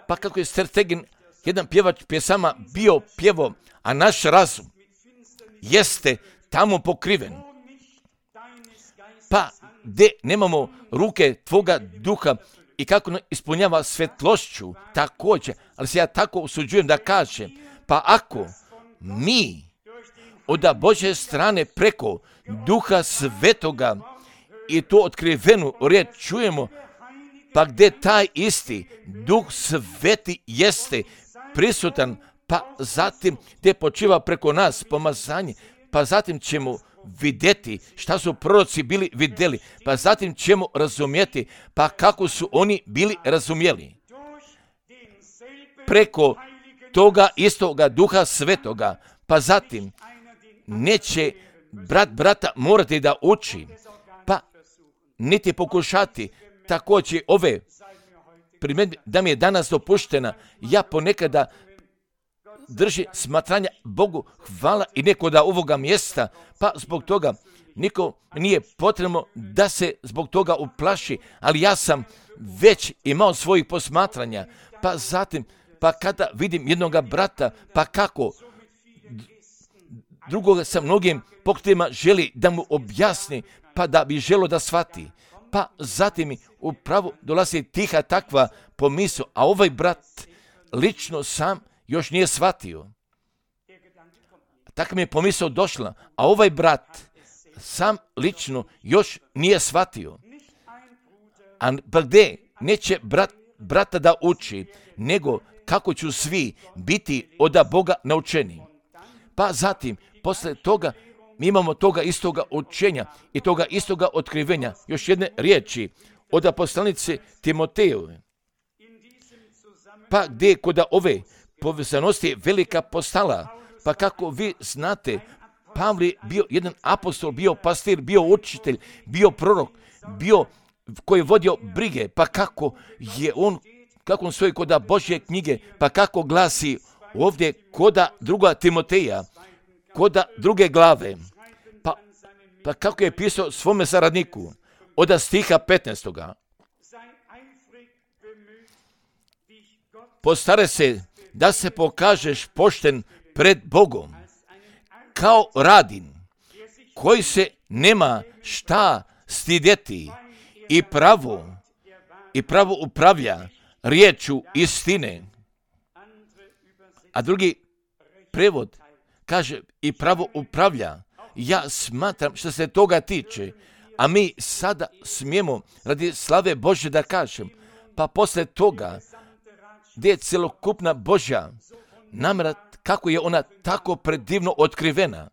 Speaker 1: pa kako je Strategin, jedan pjevač pjesama bio pjevo, a naš razum jeste tamo pokriven. Pa gdje nemamo ruke tvoga duha i kako ispunjava svetlošću također, ali se ja tako usuđujem da kažem, pa ako mi od Božje strane preko duha svetoga i to otkrivenu riječ čujemo, pa gdje taj isti duh sveti jeste prisutan, pa zatim gdje počiva preko nas pomazanje, pa zatim ćemo vidjeti šta su proroci bili vidjeli, pa zatim ćemo razumjeti, pa kako su oni bili razumjeli. Preko toga istoga duha svetoga, pa zatim neće brat brata morati da uči, pa niti pokušati također ove primjedbe da mi je danas dopuštena, ja ponekada drži smatranja Bogu hvala i neko da ovoga mjesta, pa zbog toga niko nije potrebno da se zbog toga uplaši, ali ja sam već imao svojih posmatranja, pa zatim, pa kada vidim jednoga brata, pa kako drugoga sa mnogim pokretima želi da mu objasni, pa da bi želo da shvati, pa zatim mi upravo dolazi tiha takva pomisao, a ovaj brat lično sam još nije shvatio. Tako mi je pomisao došla, a ovaj brat sam lično još nije shvatio. A pa gdje neće brat, brata da uči, nego kako ću svi biti od Boga naučeni. Pa zatim, posle toga, mi imamo toga istoga učenja i toga istoga otkrivenja. Još jedne riječi od poslanice Timotejove. Pa gdje kod ove povezanosti velika postala, pa kako vi znate, Pavle bio jedan apostol, bio pastir, bio učitelj, bio prorok, bio koji je vodio brige, pa kako je on, kako on stoji kod Božje knjige, pa kako glasi ovdje koda druga Timoteja, koda druge glave, pa, pa kako je pisao svome saradniku, od stiha petnaestoga. Postare se da se pokažeš pošten pred Bogom, kao Radin, koji se nema šta stidjeti i pravo, i pravo upravlja riječu istine. A drugi prevod kaže i pravo upravlja. Ja smatram što se toga tiče, a mi sada smijemo radi slave Božje da kažem, pa poslije toga gdje je celokupna Božja namjera, kako je ona tako predivno otkrivena.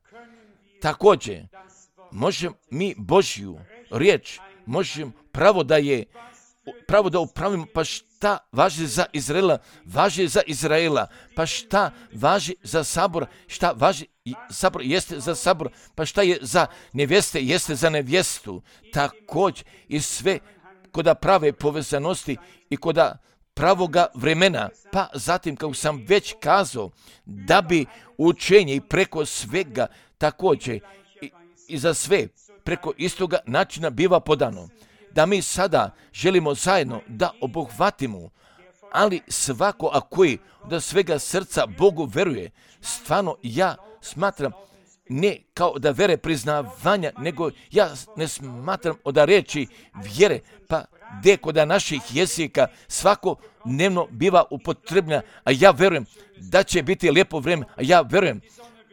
Speaker 1: Također, možemo mi Božju riječ, možemo pravo da je, pravo da upravimo, pa šta važi za Izraela, važi za Izraela, pa šta važi za sabor, šta važi sabor, jeste za sabor, pa šta je za nevjeste, jeste za nevjestu. Također i sve koda prave povezanosti i koda pravoga vremena, pa zatim, kao sam već kazao, da bi učenje i preko svega također i, i za sve preko istoga načina biva podano. Da mi sada želimo zajedno da obuhvatimo, ali svako a koji da svega srca Bogu veruje, stvarno ja smatram ne kao da vere priznavanja, nego ja ne smatram od reči vjere, pa gdje kod naših jezika svako dnevno biva upotrebljena, a ja verujem da će biti lijepo vrijeme, a ja verujem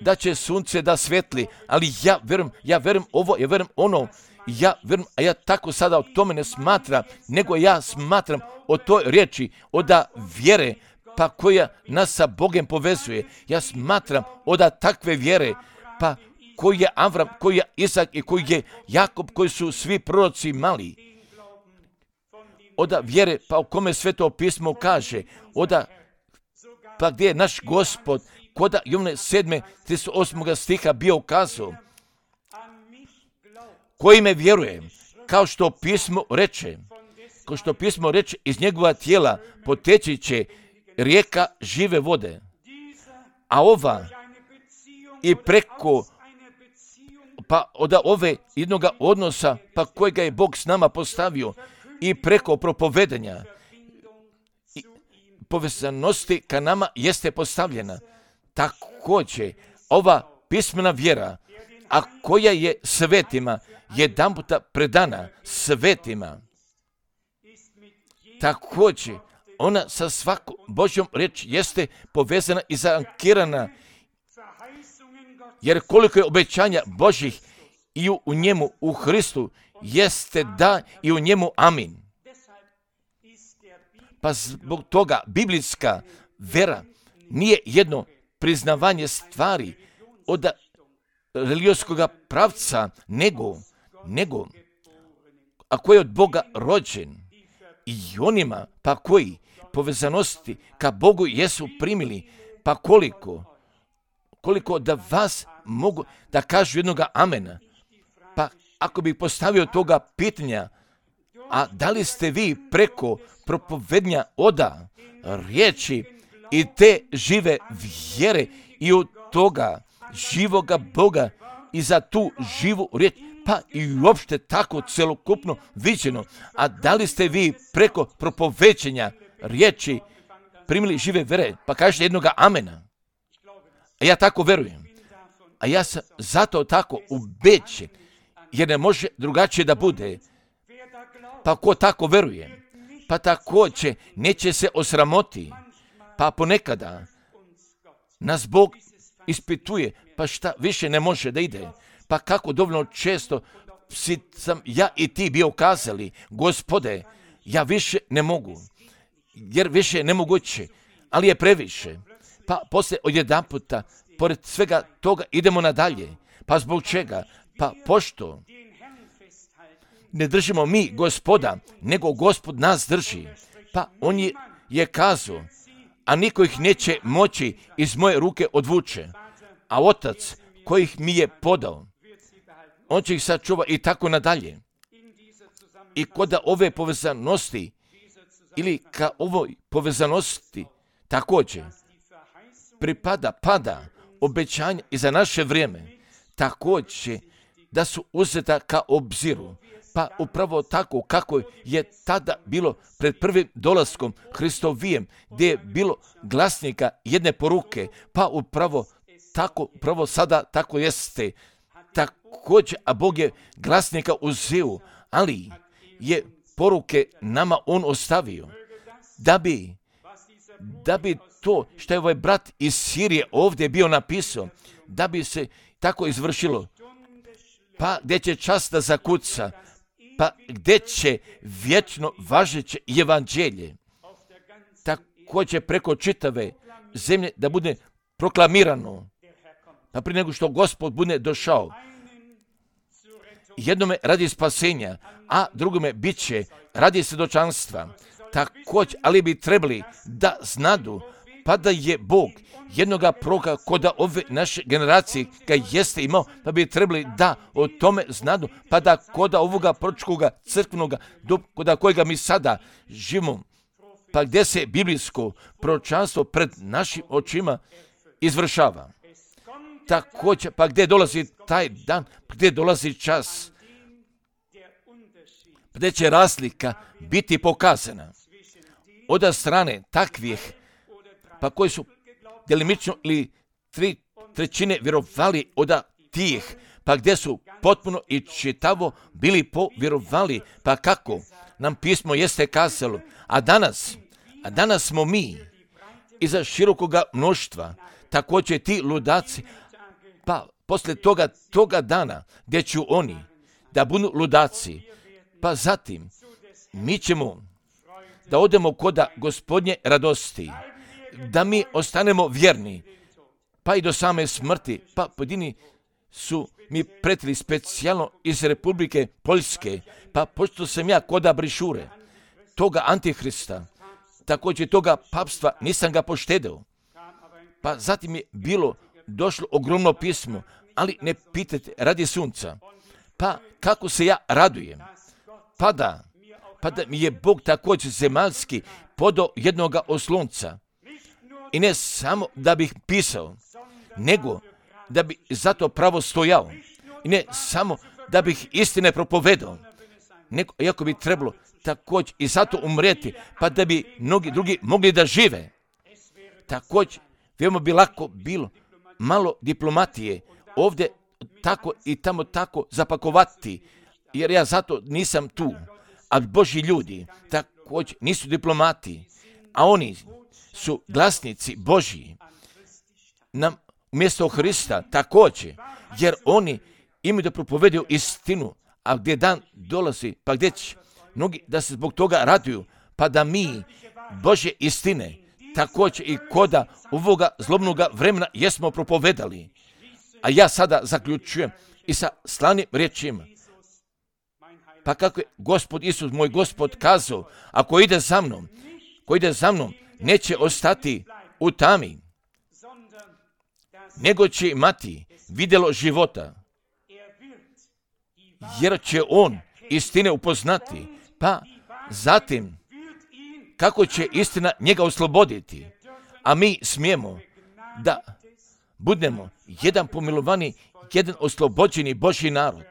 Speaker 1: da će sunce da svetli, ali ja verujem, ja verujem ovo, ja verujem ono, ja verujem, a ja tako sada o tome ne smatram, nego ja smatram o toj riječi, od vjere, pa koja nas sa Bogom povezuje. Ja smatram od takve vjere, pa koji je Avram, koji je Isak i koji je Jakob, koji su svi proroci mali. Od vjere, pa o kome Sveto pismo kaže, od pa gdje je naš Gospod, koda Jovne sedme trideset osmog stiha bio ukazao, koji me vjeruje, kao što pismo reče, kao što pismo reče, iz njegova tijela poteći će rijeka žive vode. A ova i preko pa od ove jednoga odnosa, pa kojega je Bog s nama postavio, i preko propovedanja i povezanosti ka nama jeste postavljena. Također, ova pismena vjera, a koja je svetima jedan puta predana svetima, također ona sa svakom Božjom riječ jeste povezana i zaankirana, jer koliko je obećanja Božjih i u, u njemu, u Hristu, jeste da i u njemu amin. Pa zbog toga biblijska vera nije jedno priznavanje stvari od religijskog pravca, nego, nego ako je od Boga rođen, i onima pa koji povezanosti ka Bogu jesu primili, pa koliko, koliko da vas mogu da kažu jednoga amena. Pa ako bih postavio toga pitanja, a da li ste vi preko propovednja oda riječi i te žive vjere i od toga živoga Boga i za tu živu riječ, pa i uopšte tako celokupno viđeno, a da li ste vi preko propoveđenja riječi primili žive vere, pa kažete jednoga amena. A ja tako verujem. A ja sam zato tako ubeđen, jer ne može drugačije da bude. Pa ko tako veruje, pa također neće se osramoti, pa ponekada nas Bog ispituje, pa šta više ne može da ide. Pa kako dovoljno često si sam ja i ti bio kazali, Gospode, ja više ne mogu, jer više je nemoguće, ali je previše. Pa poslije odjedanputa, pored svega toga, idemo nadalje. Pa zbog čega? Pa pošto ne držimo mi Gospoda, nego Gospod nas drži. Pa on je, je kazao, a niko ih neće moći iz moje ruke odvuče. A Otac kojih mi je podao, on će ih sačuva i tako nadalje. I koda ove povezanosti, ili ka ovoj povezanosti, također pripada, pada obećanja i za naše vrijeme, također da su uzeta ka obziru. Pa upravo tako kako je tada bilo pred prvim dolaskom Hristovijem, gdje je bilo glasnika jedne poruke, pa upravo tako, upravo sada tako jeste. također, a Bog je glasnika uzeo, ali je poruke nama on ostavio, da bi, da bi to što je ovaj brat iz Sirije ovdje bio napisao, da bi se tako izvršilo. Pa gdje će čas da zakuca, pa gdje će vječno važeće evanđelje, također preko čitave zemlje da bude proklamirano, pa prije nego što Gospod bude došao. Jednome radi spasenja, a drugome bit će radi svjedočanstva. Također, ali bi trebali da znadu, pa da je Bog jednoga proroka koda ove naše generacije ga jeste imao, pa bi trebali da o tome znadu, pa da koda ovoga proročkoga crkvenoga, koda kojega mi sada živimo, pa gdje se biblijsko proročanstvo pred našim očima izvršava. Također, pa gdje dolazi taj dan, gdje dolazi čas, gdje će razlika biti pokazana od strane takvih, pa koji su delimično ili tri trećine vjerovali od tih, pa gdje su potpuno i čitavo bili povjerovali, pa kako nam pismo jeste kazalo, a danas, a danas smo mi iza širokoga mnoštva, također ti ludaci, pa poslije toga, toga dana gdje ću oni da budu ludaci, pa zatim mi ćemo da odemo koda Gospodnje radosti, da mi ostanemo vjerni, pa i do same smrti, pa pojedini su mi pretili specijalno iz Republike Poljske, pa pošto sam ja koda brišure, toga antihrista, također toga papstva, nisam ga poštedeo. Pa zatim je bilo došlo ogromno pismo, ali ne pitajte radi sunca. Pa kako se ja radujem, pa da, pa da mi je Bog također zemaljski podao jednoga oslonca. I ne samo da bih pisao, nego da bi zato pravo stojao. I ne samo da bih istine propovedao, nego iako bi trebalo također i zato umreti, pa da bi mnogi drugi mogli da žive. Također, veoma bi lako bilo malo diplomatije ovdje tako i tamo tako zapakovati, jer ja zato nisam tu. A Božji ljudi također nisu diplomati, a oni su glasnici Božji nam umjesto Hrista također, jer oni imaju da propovedaju istinu, a gdje dan dolazi, pa gdje će mnogi da se zbog toga raduju, pa da mi Božje istine također i koda ovoga zlobnoga vremena jesmo propovedali. A ja sada zaključujem i sa slanim riječima. Pa kako je Gospod Isus, moj Gospod, kazao, ako ide za mnom, ko ide za mnom, neće ostati u tami, nego će imati vidjelo života, jer će on istine upoznati, pa zatim kako će istina njega osloboditi, a mi smijemo da budemo jedan pomilovani, jedan oslobođeni Božji narod,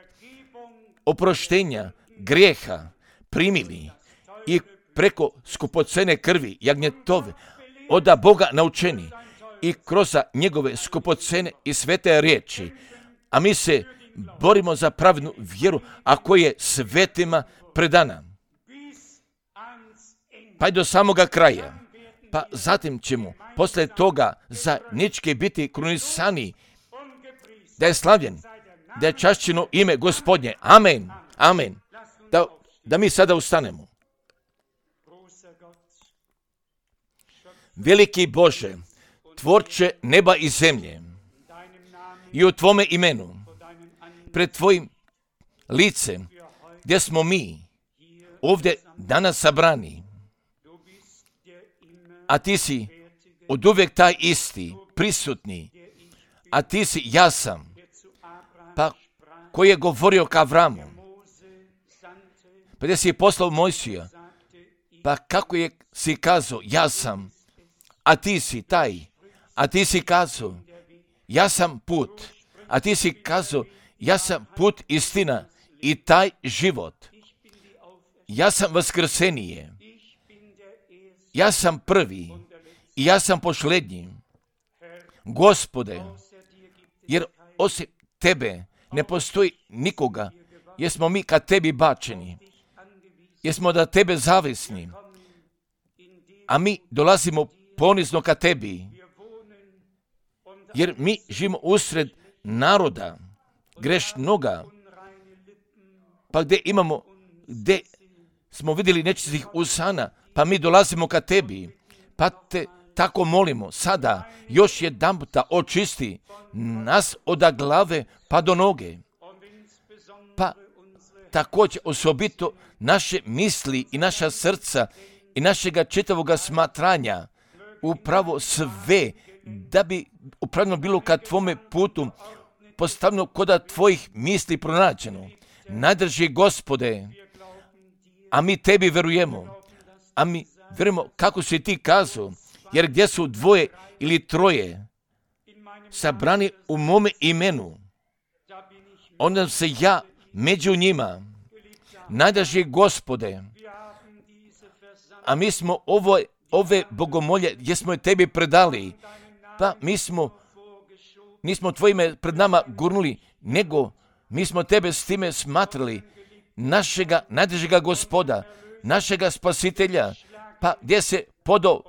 Speaker 1: oproštenja grijeha primili i preko skupocene krvi jagnjetove oda Boga naučeni i kroz njegove skupocene i svete riječi, a mi se borimo za pravednu vjeru, a koja je svetima predana. Pa i do samoga kraja. Pa zatim ćemo posle toga zajednički biti krunisani, da je slavljen, da je čašćeno ime Gospodnje. Amen. Amen. Da, da mi sada ustanemo. Veliki Bože, tvorče neba i zemlje, i u Tvome imenu, pred Tvojim licem, gdje smo mi ovdje danas sabrani, a Ti si od uvijek taj isti, prisutni, a Ti si ja sam, pa koji je govorio ka Avramu, pa gdje si je poslao Mojsija, pa kako je si kazao, ja sam, a Ti si taj, a Ti si kazao, ja sam put, a Ti si kazao, ja sam put, istina i taj život. Ja sam vaskrsenije, ja sam prvi i ja sam posljednji. Gospode, jer osim Tebe ne postoji nikoga, jer smo mi ka tebi bačeni, jer smo da tebe zavisni, a mi dolazimo ponizno ka tebi, jer mi živimo usred naroda grešnoga, pa gdje imamo, gdje smo vidjeli nečistih usana, pa mi dolazimo ka tebi, pa te tako molimo sada još jedan puta očisti nas od glave pa do noge, pa također osobito naše misli i naša srca i našega čitavoga smatranja, upravo sve, da bi upravno bilo ka tvome putu postavljeno koda tvojih misli pronađeno. Najdrži Gospode, a mi tebi verujemo, a mi verujemo kako si ti kazao, jer gdje su dvoje ili troje sabrani u mome imenu, onda se ja među njima. Najdrži Gospode, a mi smo ovo, ove bogomolje gdje smo je tebi predali, pa mi smo, nismo tvojime pred nama gurnuli, nego mi smo tebe s time smatrali, našega najdržega Gospoda, našega spasitelja, pa gdje se podo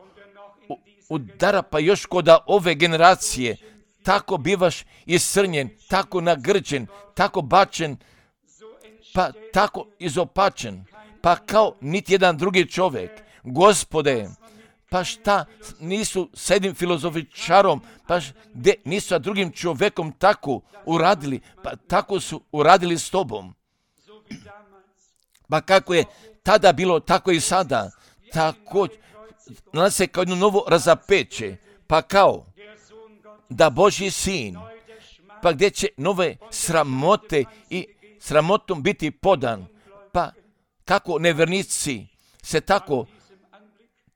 Speaker 1: udara, pa još koda ove generacije, tako bivaš iscrnjen, tako nagrđen, tako bačen, pa tako izopačen, pa kao niti jedan drugi čovjek. Gospode, pa šta nisu s jednim filozofičarom, pa gdje nisu sa drugim čovjekom tako uradili, pa tako su uradili s tobom. Pa kako je tada bilo, tako i sada, tako nas se kao jedno novo razapeće, pa kao da Božji sin, pa gdje će nove sramote i sramotom biti podan, pa kako nevernici se tako,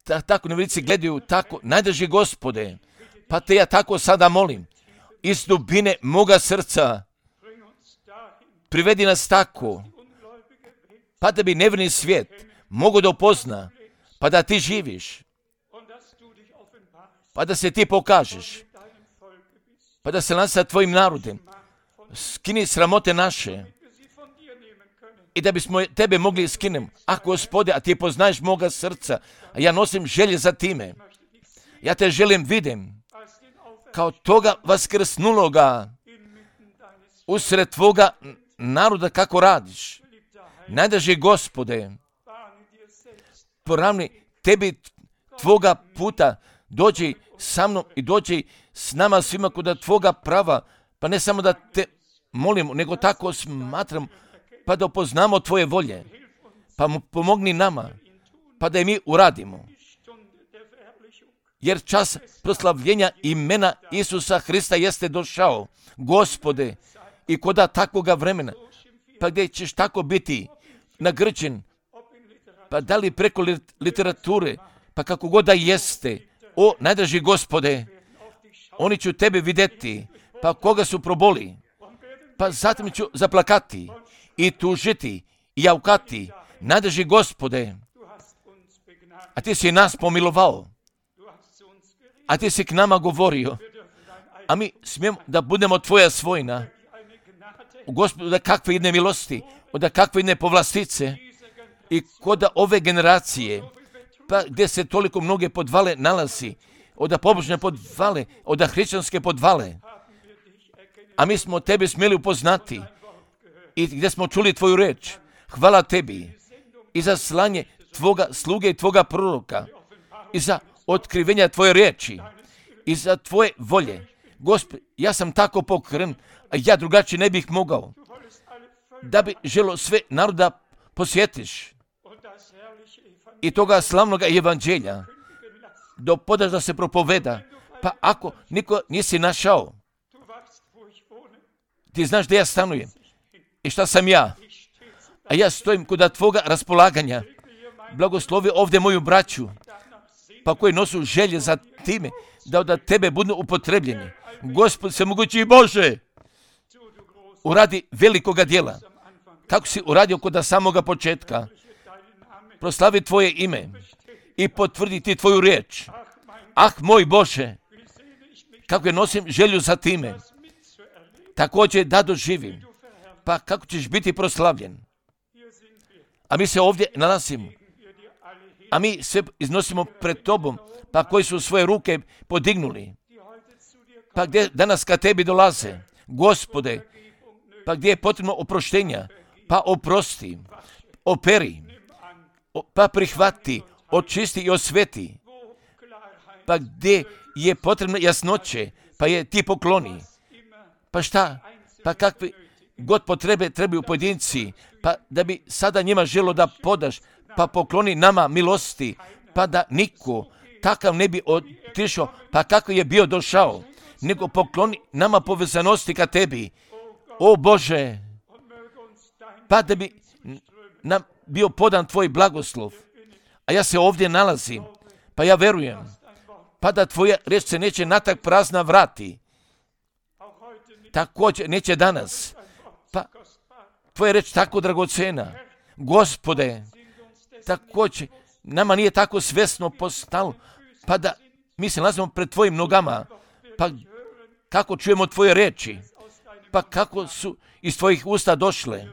Speaker 1: ta, tako nevernici gledaju tako, najdrži Gospode, pa te ja tako sada molim, iz dubine moga srca, privedi nas tako, pa da bi neverni svijet mogo da upozna, pa da ti živiš, pa da se ti pokažeš, pa da se nas sa tvojim narodem skini sramote naše i da bismo tebe mogli skinem. A Gospode, a ti poznaješ moga srca, a ja nosim želje za time. Ja te želim vidim kao toga vaskrsnuloga usred tvoga naroda kako radiš. Najdrži Gospode, poravni tebi tvoga puta, dođi sa mnom i dođi s nama svima kod tvoga prava, pa ne samo da te molimo, nego tako smatram, pa da upoznamo tvoje volje, pa mu pomogni nama, pa da i mi uradimo. Jer čas proslavljenja imena Isusa Hrista jeste došao, Gospode, i koda takvoga vremena, pa gdje ćeš tako biti nagrđen, pa da li preko literature, pa kako god da jeste, o najdraži Gospode, oni ću tebe vidjeti, pa koga su proboli, pa zatim ću zaplakati i tužiti i javkati, najdraži Gospode, a ti si nas pomilovao, a ti si k nama govorio, a mi smijemo da budemo tvoja svojina. Gospodu, da kakve jedne milosti, da kakve jedne povlastice i koda ove generacije, pa gdje se toliko mnoge podvale nalazi, oda pobožne podvale, oda hrišćanske podvale, a mi smo tebe smjeli upoznati i gdje smo čuli tvoju reč. Hvala tebi i za slanje tvoga sluge i tvoga proroka i za otkrivenja tvoje riječi i za tvoje volje. Gospod, ja sam tako pokren, a ja drugačije ne bih mogao, da bi želo sve naroda posjetiš i toga slavnoga evanđelja do podaš da se propoveda, pa ako niko nisi našao, ti znaš da ja stanujem i šta sam ja, a ja stojim kod tvoga raspolaganja. Blagoslovi ovdje moju braću, pa koji nosu želje za time da od tebe budu upotrebljeni. Gospod se mogući Bože, uradi velikoga djela, kako si uradio kod samoga početka. Proslavi tvoje ime i potvrdi ti tvoju riječ. Ah, moj Bože, kako je nosim želju za time, također da doživim pa kako ćeš biti proslavljen? A mi se ovdje nalazimo, a mi sve iznosimo pred tobom, pa koji su svoje ruke podignuli, pa gdje danas ka tebi dolaze, Gospode, pa gdje je potrebno oproštenja, pa oprosti, operi, pa prihvati, očisti i osveti, pa gdje je potrebno jasnoće, pa je ti pokloni, pa šta, pa kakve god potrebe trebaju pojedinci, pa da bi sada njima želo da podaš, pa pokloni nama milosti, pa da niko takav ne bi otišao, pa kako je bio došao, nego pokloni nama povezanosti ka tebi, o Bože, pa da bi nam bio podan tvoj blagoslov, a ja se ovdje nalazim, pa ja verujem, pa da tvoja reč se neće natak prazna vrati, također neće danas, pa tvoja reč tako dragocena, Gospode, također nama nije tako svjesno postalo, pa da mi se nalazimo pred tvojim nogama, pa kako čujemo tvoje reči, pa kako su iz tvojih usta došle,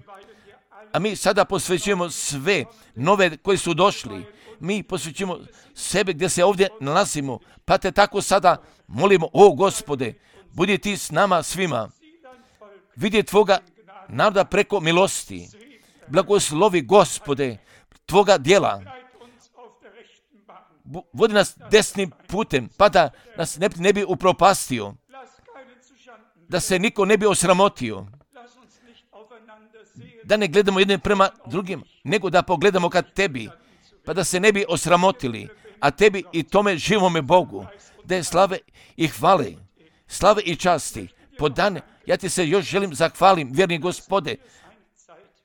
Speaker 1: a mi sada posvećujemo sve nove koji su došli, mi posvećujemo sebe gdje se ovdje nalazimo, pa te tako sada molimo, o Gospode, budi ti s nama svima, vidi tvoga naroda preko milosti, blagoslovi Gospode tvoga djela, vodi nas desnim putem, pa da nas ne, ne bi upropastio, da se niko ne bi osramotio, da ne gledamo jedne prema drugim, nego da pogledamo ka tebi, pa da se ne bi osramotili, a tebi i tome živome Bogu, da je slave i hvale, slave i časti, podane, ja ti se još želim zahvalim, vjerni Gospode,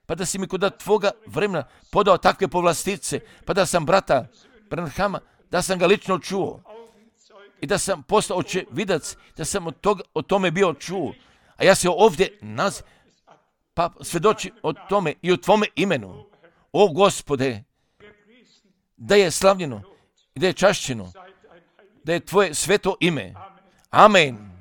Speaker 1: pa da si mi kod tvoga vremena podao takve povlastice, pa da sam brata Branhama, da sam ga lično čuo i da sam postao očevidac, da sam od, toga, od tome bio čuo, a ja se ovdje nalazim, pa svjedoči o tome i o tvome imenu, o Gospode, da je slavljeno i da je čašćeno, da je tvoje sveto ime. Amen.